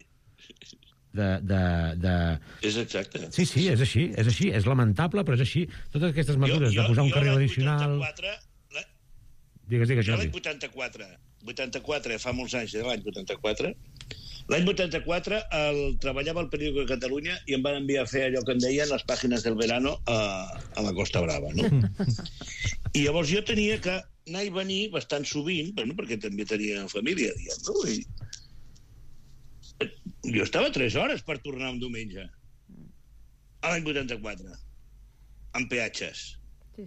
C: És exacte.
B: Sí, és així, és lamentable, però és així. Totes aquestes mesures de posar un carril addicional... Digues,
C: jo l'any 84, fa molts anys, l'any 84, l'any 84 treballava al periòdico de Catalunya i em van enviar a fer allò que en deien les pàgines del verano a la Costa Brava, no? I llavors jo tenia que anar i venir bastant sovint, perquè també tenia família, diguem, no? I jo estava 3 hores per tornar un diumenge a l'any 84 amb peatges.
D: Sí.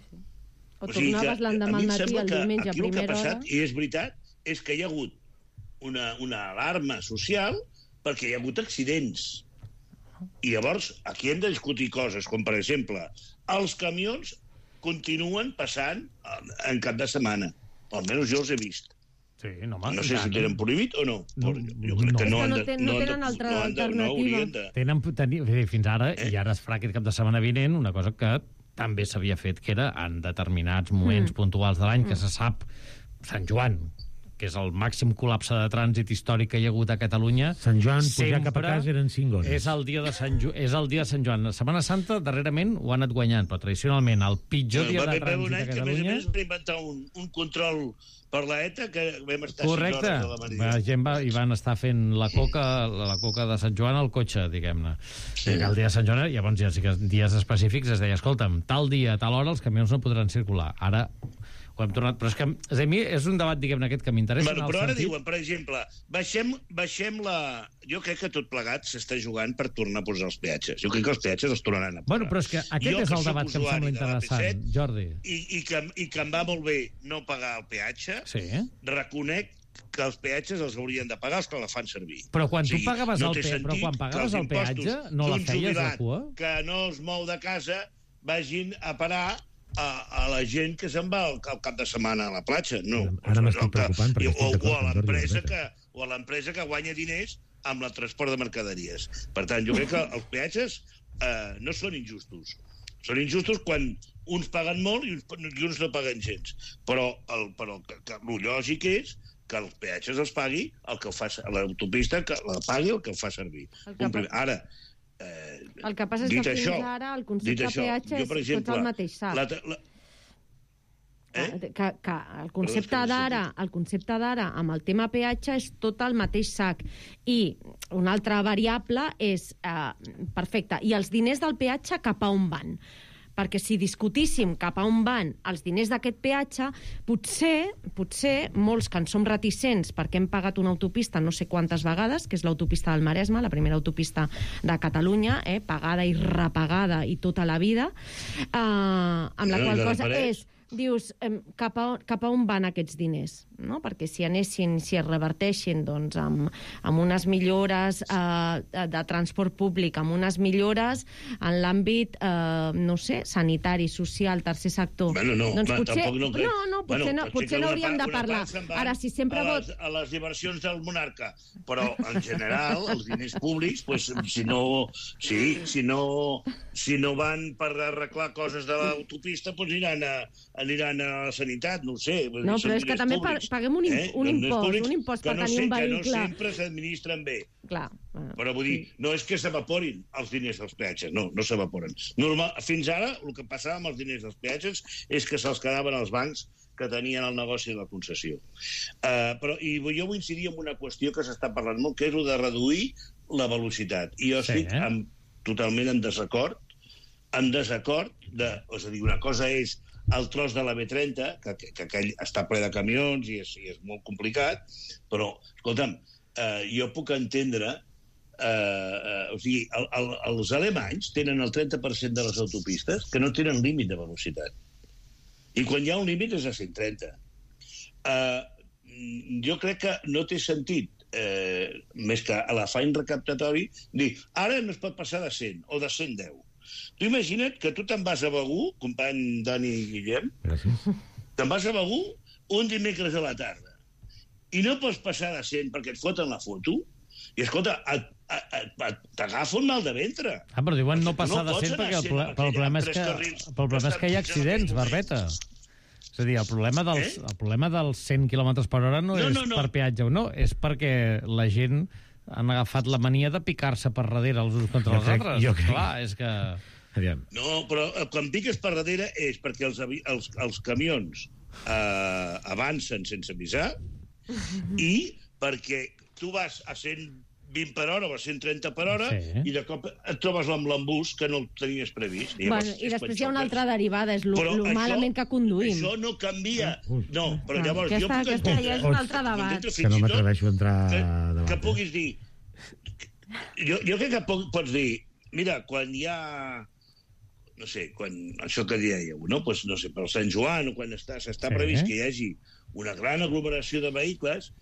D: O tornaves l'endemà al matí, el diumenge a primera hora.
C: El que ha passat, i és veritat, és que hi ha hagut una alarma social perquè hi ha hagut accidents. I llavors aquí hem de discutir coses, com per exemple els camions continuen passant en cap de setmana, almenys jo els he vist.
A: Sí,
C: no sé si tenen prohibit o no. Jo crec que no
D: tenen altra alternativa.
A: Fins ara, i ara es farà aquest cap de setmana vinent, una cosa que també s'havia fet, que era en determinats moments puntuals de l'any, que se sap, Sant Joan, que és el màxim col·lapse de trànsit històric que hi ha hagut a Catalunya.
B: Sant Joan, pujar cap a casa eren 5 hores.
A: És el dia de Sant Joan. La Setmana Santa, darrerament, ho ha anat guanyant, però tradicionalment, el pitjor dia de trànsit a Catalunya...
C: A més va inventar un control per l'ETA que vam estar 6 hores
A: a la Maria. La gent hi van estar fent la coca de Sant Joan al cotxe, diguem-ne. El dia de Sant Joan, llavors ja sí que dies específics es deia, escolta'm, tal dia, tal hora els camions no podran circular. Ara ho hem tornat, però és que a mi és un debat, diguem-ne, aquest que m'interessa.
C: Però ara diuen, per exemple, baixem la... Jo crec que tot plegat s'està jugant per tornar a posar els peatges. Jo crec que els peatges els tornaran a posar.
A: Bueno, però és que aquest és el debat que em sembla interessant, Jordi.
C: I que em va molt bé no pagar el peatge, reconec que els peatges els haurien de pagar els que la fan servir.
A: Però quan tu pagaves el peatge, no la feies la cua?
C: Que no es mou de casa vagin a parar a la gent que se'n va al cap de setmana a la platja, no.
B: Ara m'estic preocupant perquè estic
C: o
B: d'acord
C: a l'empresa que guanya diners amb el transport de mercaderies. Per tant, jo crec que els peatges no són injustos. Són injustos quan uns paguen molt i uns no paguen gens. Però el lògic és que els peatges els pagui el que fa l'autopista, que la pagui el que el fa servir. Ara,
D: el que passa és que fins ara el concepte de peatge és tot el mateix sac. Que el concepte d'ara amb el tema peatge és tot el mateix sac. I una altra variable és, perfecte, i els diners del peatge cap a on van? Perquè si discutíssim cap a on van els diners d'aquest peatge, potser molts que en som reticents perquè hem pagat una autopista no sé quantes vegades, que és l'autopista del Maresme, la primera autopista de Catalunya, pagada i repagada i tota la vida, amb la qual cosa és... Dius, cap a on van aquests diners? No? Perquè si es reverteixin doncs, amb unes millores de transport públic, amb unes millores en l'àmbit, no sé, sanitari, social, tercer sector...
C: Doncs potser
D: no hauríem de parlar. Ara, si sempre
C: a les diversions del monarca, però en general els diners públics, si no van per arreglar coses de l'autopista, aniran a la sanitat, no ho sé.
D: No, però és que també paguem un impost per tenir un vehicle.
C: Que no sempre s'administren bé.
D: Clar.
C: Però vull dir, no és que s'evaporin els diners dels peatges, no s'evaporen. Fins ara, el que passava amb els diners dels peatges és que se'ls quedaven als bancs que tenien el negoci de la concessió. I jo vull incidir en una qüestió que s'està parlant molt, que és el de reduir la velocitat. I jo estic totalment en desacord. És a dir, una cosa és el tros de la B30, que aquell està ple de camions i és molt complicat, però, escolta'm, jo puc entendre... O sigui, els alemanys tenen el 30% de les autopistes que no tenen límit de velocitat. I quan hi ha un límit és a 130. Jo crec que no té sentit, més que a l'afany recaptatori, dir, ara no es pot passar de 100 o de 110. Tu imagina't que tu te'n vas a Begur, company Dani i Guillem, te'n vas a Begur un dimecres a la tarda i no pots passar de 100 perquè et foten la foto i, escolta, t'agafa un mal de ventre.
A: Però diuen no passar de 100 perquè el problema és que hi ha accidents, Barbeta. És a dir, el problema dels 100 km per hora no és per peatge o no, és perquè la gent han agafat la mania de picar-se per darrere els uns contra els altres. Clar, és que...
C: No, però quan piques per darrere és perquè els camions avancen sense avisar i perquè tu vas a 120 per hora o a 130 per hora i de cop et trobes amb l'embús que no el tenies previst.
D: I després hi ha una altra derivada, és lo malament que conduïm.
C: Això no canvia. No, però llavors jo puc
D: entendre... Ja és un altre debat.
B: Que no m'atreveixo a entrar a debat.
C: Que puguis dir... Jo crec que pots dir, mira, quan hi ha... No sé, quan això que dieu, no? Pues, no sé, per Sant Joan o quan s'està previst que hi hagi una gran aglomeració de vehicles,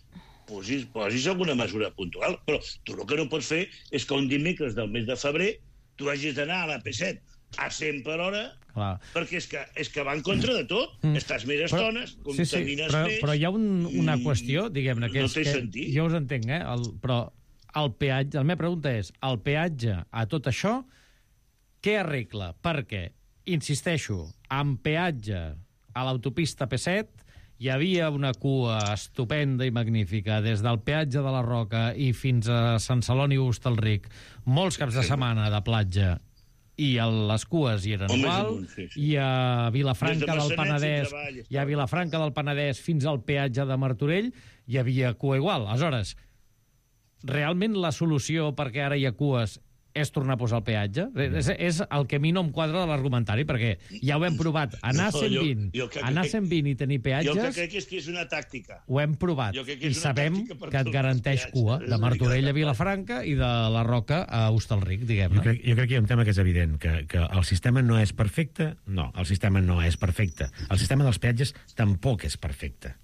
C: posis alguna mesura puntual. Però tu el que no pots fer és que un dimecres del mes de febrer tu hagis d'anar a la P7 a 100 per hora, perquè és que va en contra de tot. Estàs més estones, contamines més...
A: Però hi ha una qüestió, diguem-ne, que
C: no té sentit.
A: Jo us entenc, però el peatge, la meva pregunta és, el peatge a tot això, què arregla? Perquè, insisteixo, amb peatge a l'autopista P7 hi havia una cua estupenda i magnífica des del peatge de la Roca i fins a Sant Celoni i Hostalric, molts caps de setmana de platja, i les cues hi eren igual, i a Vilafranca del Penedès, fins al peatge de Martorell hi havia cua igual. Aleshores, realment la solució perquè ara hi ha cues és tornar a posar el peatge? És el que a mi no em quadra de l'argumentari, perquè ja ho hem provat. Anar a 120 i tenir peatges...
C: Jo el que crec és que és una tàctica.
A: Ho hem provat i sabem que et garanteix cua de Martorell a Vilafranca i de la Roca a Hostalric, diguem-ne.
B: Jo crec que hi ha un tema que és evident, que el sistema no és perfecte. No, el sistema no és perfecte. El sistema dels peatges tampoc és perfecte.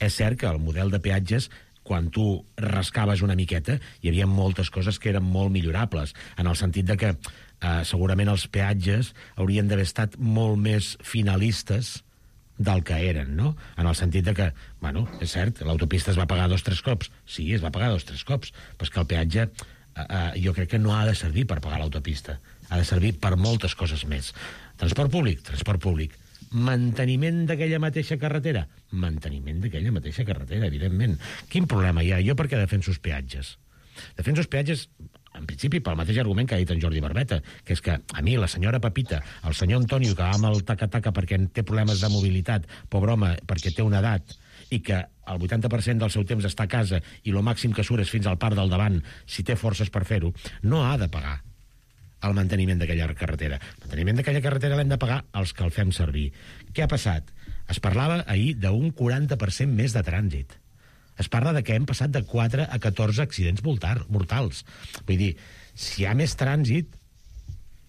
B: És cert que el model de peatges quan tu rascaves una miqueta, hi havia moltes coses que eren molt millorables, en el sentit de que segurament els peatges haurien d'haver estat molt més finalistes del que eren, no? En el sentit de que, bueno, és cert, l'autopista es va pagar 2 o 3 cops. Sí, es va pagar 2 o 3 cops, però és que el peatge jo crec que no ha de servir per pagar l'autopista. Ha de servir per moltes coses més. Transport públic. Manteniment d'aquella mateixa carretera? Manteniment d'aquella mateixa carretera, evidentment. Quin problema hi ha? Jo per què defenso els peatges? Defenso els peatges, en principi, pel mateix argument que ha dit en Jordi Barbeta, que és que a mi, la senyora Pepita, el senyor Antonio, que va amb el taca-taca perquè té problemes de mobilitat, pobre home, perquè té una edat, i que el 80% del seu temps està a casa i el màxim que surt és fins al parc del davant, si té forces per fer-ho, no ha de pagar el manteniment d'aquella carretera. El manteniment d'aquella carretera l'hem de pagar els que el fem servir. Què ha passat? Es parlava ahir d'un 40% més de trànsit. Es parla de que hem passat de 4 a 14 accidents mortals. Vull dir, si hi ha més trànsit,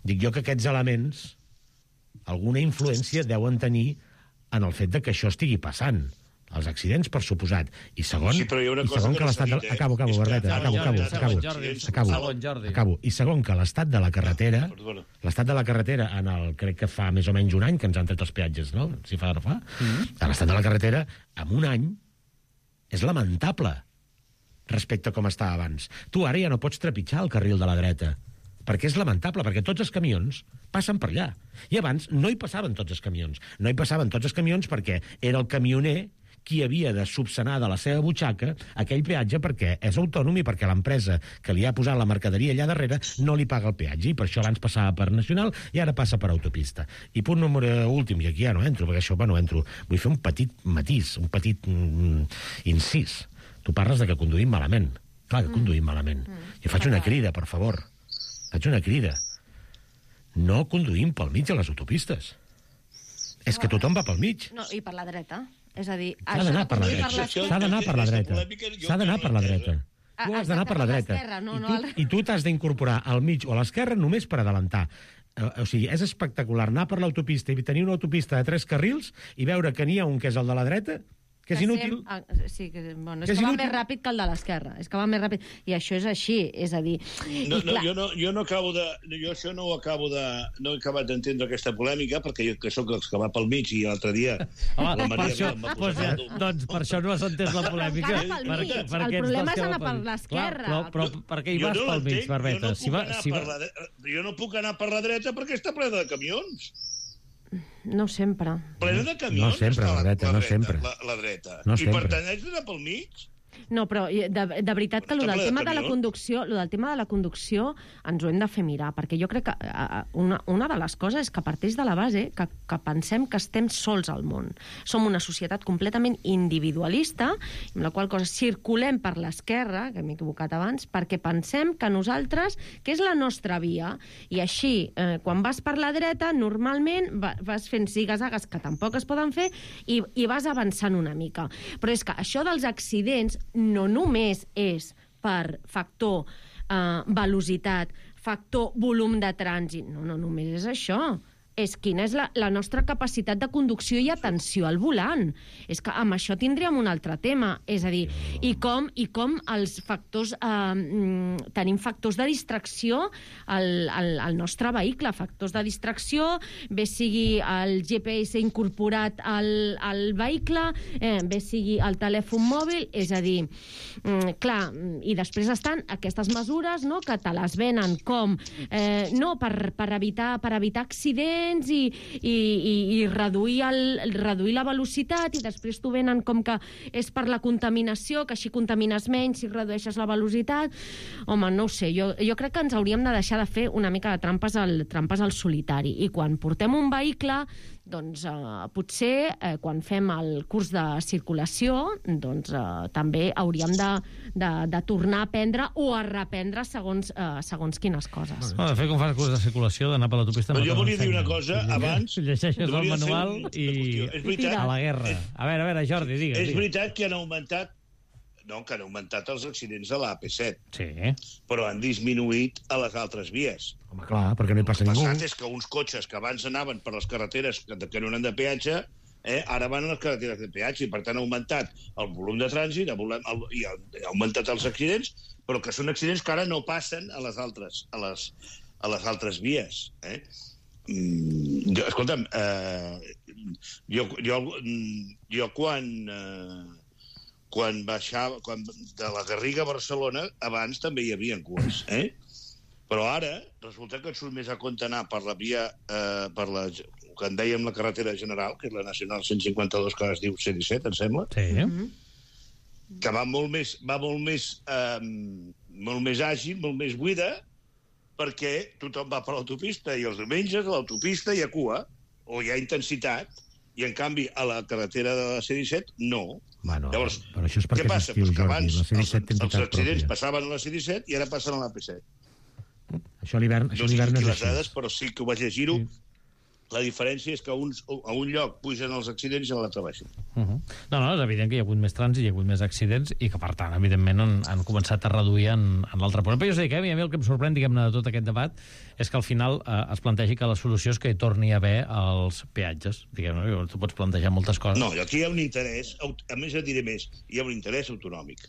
B: dic jo que aquests elements alguna influència deuen tenir en el fet de que això estigui passant. Els accidents, per suposat. I segon,
C: sí,
B: que l'estat de... Acabo, Barbeta, acabo. I segon, que l'estat de la carretera, en el, crec que fa més o menys un any que ens han tret els peatges, no? Si fa o no fa. L'estat de la carretera, en un any, és lamentable respecte a com estava abans. Tu ara ja no pots trepitjar el carril de la dreta, perquè és lamentable, perquè tots els camions passen per allà. I abans no hi passaven tots els camions. No hi passaven tots els camions perquè era el camioner qui havia de subsanar de la seva butxaca aquell peatge perquè és autònom i perquè l'empresa que li ha posat la mercaderia allà darrere no li paga el peatge, i per això abans passava per Nacional i ara passa per autopista. I punt número últim, i aquí ja no entro, perquè això no entro, vull fer un petit matís, un petit incís. Tu parles de que conduïm malament. Clar que conduïm malament. I faig una crida, per favor. Faig una crida. No conduïm pel mig a les autopistes. És que tothom va pel mig.
D: No, i per la dreta. És a dir...
B: S'ha d'anar per la dreta. S'ha d'anar per la dreta. S'ha d'anar per la dreta. Tu has d'anar per la dreta. I tu t'has d'incorporar al mig o a l'esquerra només per adelantar. O sigui, és espectacular anar per l'autopista i tenir una autopista de 3 carrils i veure que n'hi ha un que és el de la dreta, que és inútil.
D: Sí, bueno, és que va més ràpid que el de l'esquerra. És que va més ràpid. I això és així. És a dir...
C: Jo no acabo de... Jo això no ho acabo de... No he acabat d'entendre aquesta polèmica, perquè jo que sóc els que va pel mig i l'altre dia...
A: Home, doncs per això no has entès la polèmica.
D: El problema és anar per l'esquerra.
A: Però per què hi vas pel mig, Barbeta?
C: Jo no puc anar per la dreta perquè està plena de camions.
D: No sempre.
C: Plena de camions.
B: No sempre, la dreta, no sempre.
C: La dreta.
B: No
C: I per tant, haig d'anar pel mig?
D: No, però de veritat que el del tema de la conducció ens ho hem de fer mirar, perquè jo crec que una de les coses és que parteix de la base que pensem que estem sols al món. Som una societat completament individualista, amb la qual cosa circulem per l'esquerra, que m'he equivocat abans, perquè pensem que nosaltres, que és la nostra via, i així, quan vas per la dreta, normalment vas fent zigues-zagues que tampoc es poden fer i vas avançant una mica. Però és que això dels accidents no només és per factor velocitat, factor volum de trànsit, no només és això. És quina és la nostra capacitat de conducció i atenció al volant. És que amb això tindríem un altre tema. És a dir, i com els factors... tenim factors de distracció al nostre vehicle, factors de distracció, bé sigui el GPS incorporat al vehicle, bé sigui el telèfon mòbil, és a dir, clar, i després estan aquestes mesures, no?, que te les venen com no, per evitar accidents i reduir la velocitat, i després t'ho venen com que és per la contaminació, que així contamines menys si redueixes la velocitat. Home, no ho sé, jo crec que ens hauríem de deixar de fer una mica de trampes al solitari, i quan portem un vehicle, doncs potser quan fem el curs de circulació doncs també hauríem de tornar a aprendre o a reprendre segons quines coses.
A: De fet, com fas el curs de circulació, d'anar per l'autopista...
C: Però jo volia dir una cosa abans...
A: Llegeixes el manual i a la guerra. A veure, Jordi, digues.
C: És veritat que han augmentat els accidents de l'AP7.
A: Sí.
C: Però han disminuït a les altres vies.
B: Home, clar, perquè no hi passa ningú.
C: El passat és que uns cotxes que abans anaven per les carreteres que no eren de peatge, ara van a les carreteres de peatge i, per tant, ha augmentat el volum de trànsit i ha augmentat els accidents, però que són accidents que ara no passen a les altres vies. Escolta'm, jo quan baixava de la Garriga a Barcelona, abans també hi havia cues, però ara resulta que et surt més a compte anar per la via, per la que en dèiem la carretera general, que és la Nacional 152, que es diu C-17, em sembla, que va molt més àgil, molt més buida, perquè tothom va per l'autopista, i els diumenges a l'autopista hi ha cua, o hi ha intensitat, i en canvi a la carretera de la C-17 no. Llavors, què passa? Que abans els accidents passaven a la C-17 i ara passen a la P-7.
B: Això a l'hivern
C: no sé les dades, però sí que ho vaig llegir-ho. La diferència és que a un lloc pugen els accidents i a l'altre baixen.
A: No, és evident que hi ha hagut més trànsit, hi ha hagut més accidents i que, per tant, evidentment, han començat a reduir en l'altre punt. Però jo sé que a mi el que em sorprèn, diguem-ne, de tot aquest debat és que al final es plantegi que la solució és que hi torni a haver els peatges. Diguem-ne, tu pots plantejar moltes coses.
C: No, aquí hi ha un interès, a més et diré més, hi ha un interès autonòmic.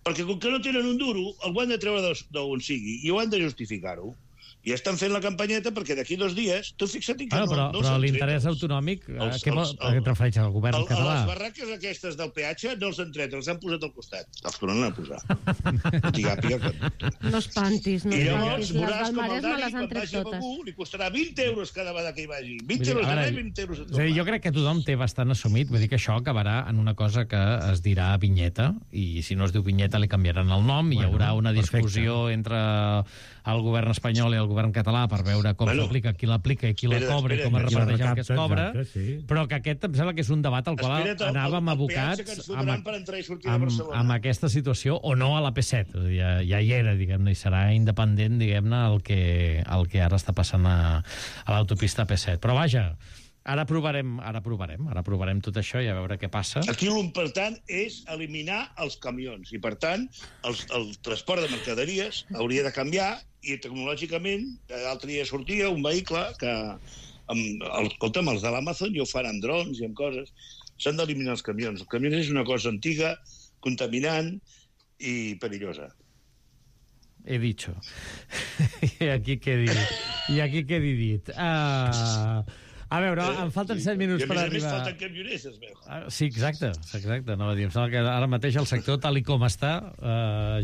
C: Perquè com que no tenen un duro, el han de treure d'on sigui i ho han de justificar-ho. I estan fent la campanyeta perquè d'aquí 2 dies, tu fixa't que no
A: però l'interès autonòmic, a què et refereix al govern català?
C: A les barraques aquestes del peatge no els han tret, els han posat al costat. Els tornen a posar.
D: No espantis, no espantis.
C: I llavors veuràs com el Dani, quan vagi a Begur, li costarà 20 euros cada vegada que hi vagi. 20 euros a més, 20 euros a tornar.
A: Jo crec que tothom té bastant assumit, vull dir que això acabarà en una cosa que es dirà vinyeta, i si no es diu vinyeta li canviaran el nom, i hi haurà una discussió entre el govern espanyol i el govern català per veure com s'aplica, qui l'aplica i qui la cobra i com es reparteix el que es cobra, però que aquest em sembla que és un debat al qual anàvem abocats amb aquesta situació, o no a la P7, ja hi era, diguem-ne, i serà independent, diguem-ne, el que ara està passant a l'autopista P7. Però vaja, ara provarem tot això i a veure què passa.
C: Aquí l'important és eliminar els camions i, per tant, el transport de mercaderies hauria de canviar i tecnològicament, l'altre dia sortia un vehicle que, escolta'm, els de l'Amazon ja ho fan amb drons i amb coses. S'han d'eliminar els camions. Els camions és una cosa antiga, contaminant i perillosa.
A: He dicho. I aquí quedi dit. A veure, em falten 7 minuts per arribar.
C: I a més falten camioners, es veu.
A: Sí, exacte. No, em sembla que ara mateix el sector, tal i com està,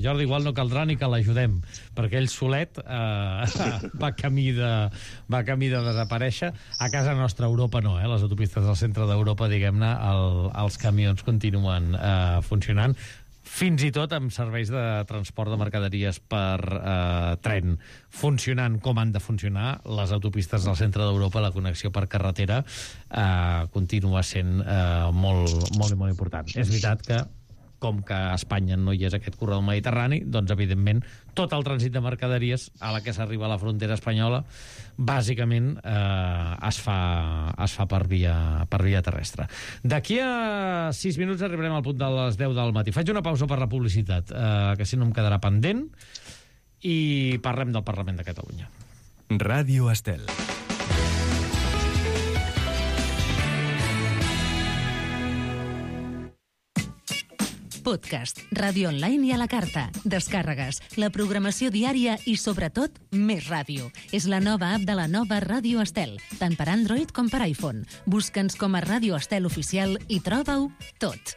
A: Jordi, igual no caldrà ni que l'ajudem, perquè ell solet va camí de desaparèixer. A casa nostra, a Europa no, les autopistes del centre d'Europa, diguem-ne, els camions continuen funcionant, fins i tot amb serveis de transport de mercaderies per tren funcionant com han de funcionar. Les autopistes del centre d'Europa, la connexió per carretera continua sent molt important. És veritat que, com que a Espanya no hi és aquest corredor mediterrani, doncs, evidentment, tot el trànsit de mercaderies a la que s'arriba a la frontera espanyola, bàsicament, es fa per via terrestre. D'aquí a 6 minuts arribarem al punt de les 10 del matí. Faig una pausa per la publicitat, que si no em quedarà pendent, i parlem del Parlament de Catalunya.
E: Ràdio Estel.
F: Podcast, ràdio online i a la carta, descàrregues, la programació diària i, sobretot, més ràdio. És la nova app de la nova Ràdio Estel, tant per Android com per iPhone. Busca'ns com a Ràdio Estel Oficial i troba-ho tot.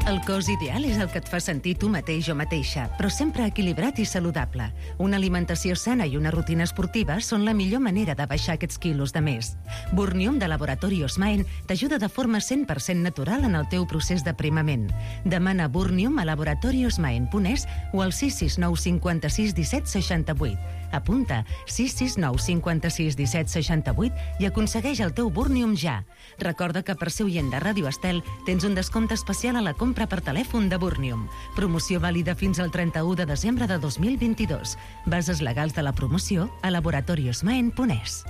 F: El cos ideal és el que et fa sentir tu mateix o mateixa, però sempre equilibrat i saludable. Una alimentació sana i una rutina esportiva són la millor manera de baixar aquests quilos de més. Burnium de Laboratori Osmaen t'ajuda de forma 100% natural en el teu procés d'aprimament. Demana Burnium a laboratoriosmaen.es o al 669 56 17 68. Apunta 669 56 17 68 i aconsegueix el teu Burnium ja. Recorda que per ser oient de Ràdio Estel tens un descompte especial a la compra per telèfon de Burnium. Promoció vàlida fins al 31 de desembre de 2022. Bases legals de la promoció a laboratoriosmaen.es.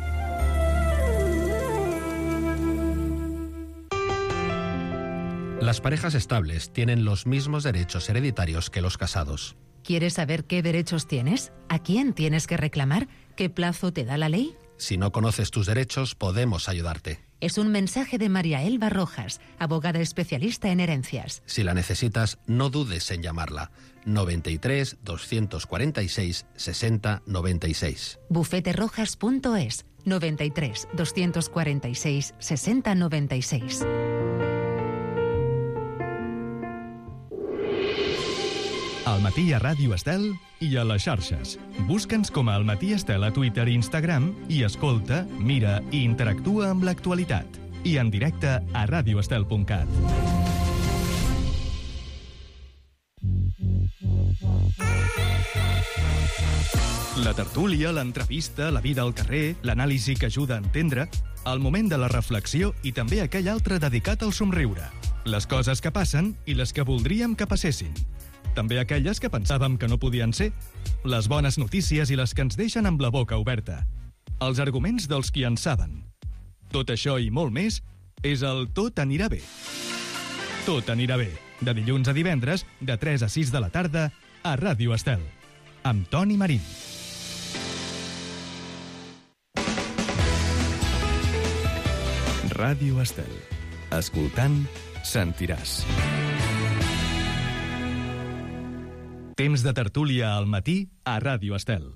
G: Las parejas estables tienen los mismos derechos hereditarios que los casados.
F: ¿Quieres saber qué derechos tienes? ¿A quién tienes que reclamar? ¿Qué plazo te da la ley?
G: Si no conoces tus derechos, podemos ayudarte.
F: Es un mensaje de María Elba Rojas, abogada especialista en herencias.
G: Si la necesitas, no dudes en llamarla. 93 246 60 96.
F: Bufeterojas.es 93 246 60 96.
E: Al matí a Ràdio Estel i a les xarxes. Busca'ns com a Al matí Estel a Twitter i Instagram i escolta, mira i interactua amb l'actualitat. I en directe a radioestel.cat. La tertúlia, l'entrevista, la vida al carrer, l'anàlisi que ajuda a entendre, el moment de la reflexió i també aquell altre dedicat al somriure. Les coses que passen i les que voldríem que passessin. També aquelles que pensàvem que no podien ser, les bones notícies i les que ens deixen amb la boca oberta, els arguments dels qui en saben. Tot això i molt més és el Tot anirà bé. Tot anirà bé, de dilluns a divendres, de 3 a 6 de la tarda, a Ràdio Estel, amb Toni Marín. Ràdio Estel. Escoltant, sentiràs. Temps de tertúlia al matí a Ràdio Estel.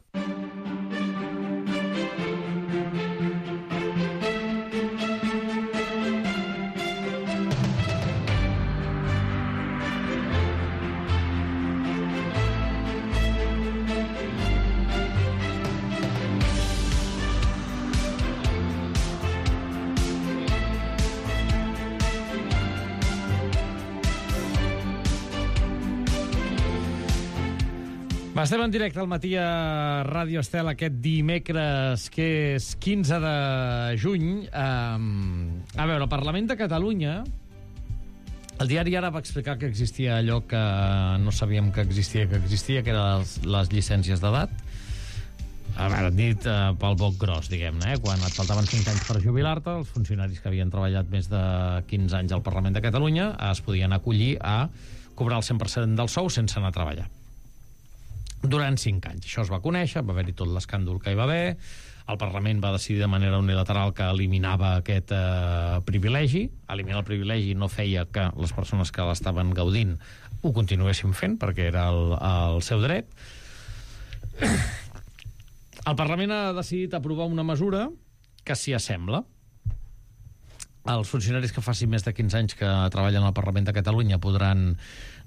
A: Estem en directe al matí a Ràdio Estel aquest dimecres, que és 15 de juny. A veure, el Parlament de Catalunya, el diari Ara va explicar que existia allò que no sabíem que existia, que eren les llicències d'edat. A veure, dit pel boc gros, diguem-ne, quan et faltaven 5 anys per jubilar-te, els funcionaris que havien treballat més de 15 anys al Parlament de Catalunya es podien acollir a cobrar el 100% del sou sense anar a treballar. Durant 5 anys. Això es va conèixer, va haver-hi tot l'escàndol que hi va haver, el Parlament va decidir de manera unilateral que eliminava aquest privilegi. Eliminar el privilegi no feia que les persones que l'estaven gaudint ho continuessin fent, perquè era el seu dret. El Parlament ha decidit aprovar una mesura que s'hi assembla. Els funcionaris que facin més de 15 anys que treballen al Parlament de Catalunya podran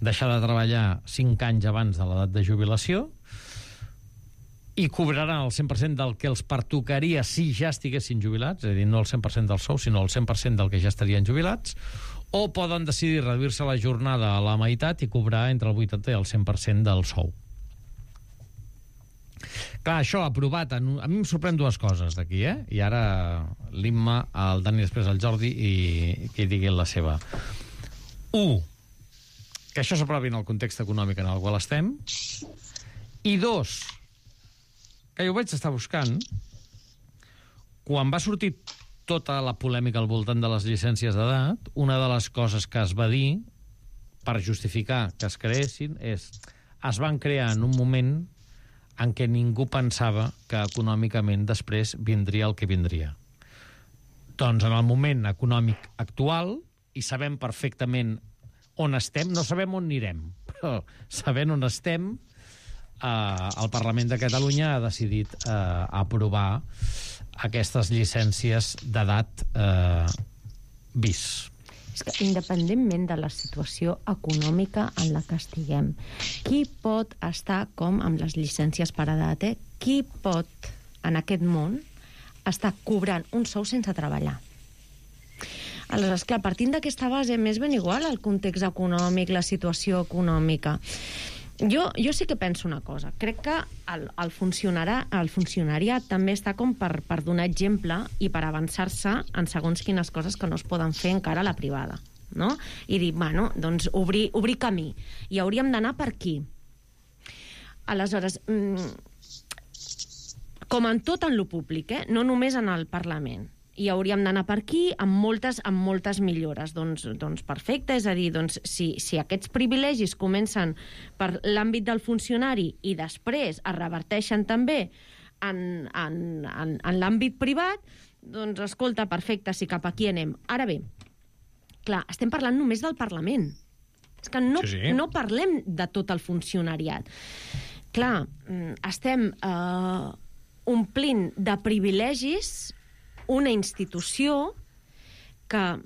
A: deixar de treballar 5 anys abans de l'edat de jubilació i cobraran el 100% del que els pertocaria si ja estiguessin jubilats, és a dir, no el 100% del sou, sinó el 100% del que ja estarien jubilats, o poden decidir reduir-se la jornada a la meitat i cobrar entre el 80% i el 100% del sou. Clar, això aprovat... A mi em sorprèn dues coses d'aquí, I ara l'Imma, el Dani, després el Jordi, i que hi diguin la seva. 1, que això s'aprovi en el context econòmic en el qual estem. I 2, que jo vaig estar buscant, quan va sortir tota la polèmica al voltant de les llicències d'edat, una de les coses que es va dir per justificar que es creessin es van crear en un moment en què ningú pensava que econòmicament després vindria el que vindria. Doncs en el moment econòmic actual, i sabem perfectament on estem, no sabem on anirem, però sabent on estem, el Parlament de Catalunya ha decidit aprovar aquestes llicències d'edat bis.
D: És que, independentment de la situació econòmica en la que estiguem, qui pot estar com amb les llicències per edat, Qui pot, en aquest món, estar cobrant un sou sense treballar? Aleshores, clar, partint d'aquesta base, m'és ben igual el context econòmic, la situació econòmica. Jo sí que penso una cosa. Crec que el funcionariat també està com per donar exemple i per avançar-se en segons quines coses que no es poden fer encara a la privada, no? I dir, bueno, doncs obrir camí. I hauríem d'anar per aquí. Aleshores, com en tot en lo públic, no només en el Parlament. i hauríem d'anar per aquí amb moltes millores. Doncs perfecte, és a dir, si aquests privilegis comencen per l'àmbit del funcionari i després es reverteixen també en l'àmbit privat, doncs escolta, perfecte, si cap aquí anem. Ara bé, clar, estem parlant només del Parlament. És que no parlem de tot el funcionariat. Clar, estem omplint de privilegis una institució que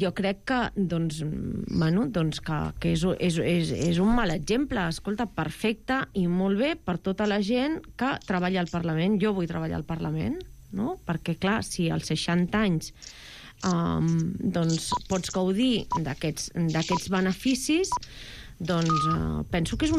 D: jo crec que que és un mal exemple. Escolta, perfecte i molt bé per tota la gent que treballa al Parlament. Jo vull treballar al Parlament, no? Perquè, clar, si als 60 anys pots gaudir d'aquests beneficis, doncs penso que és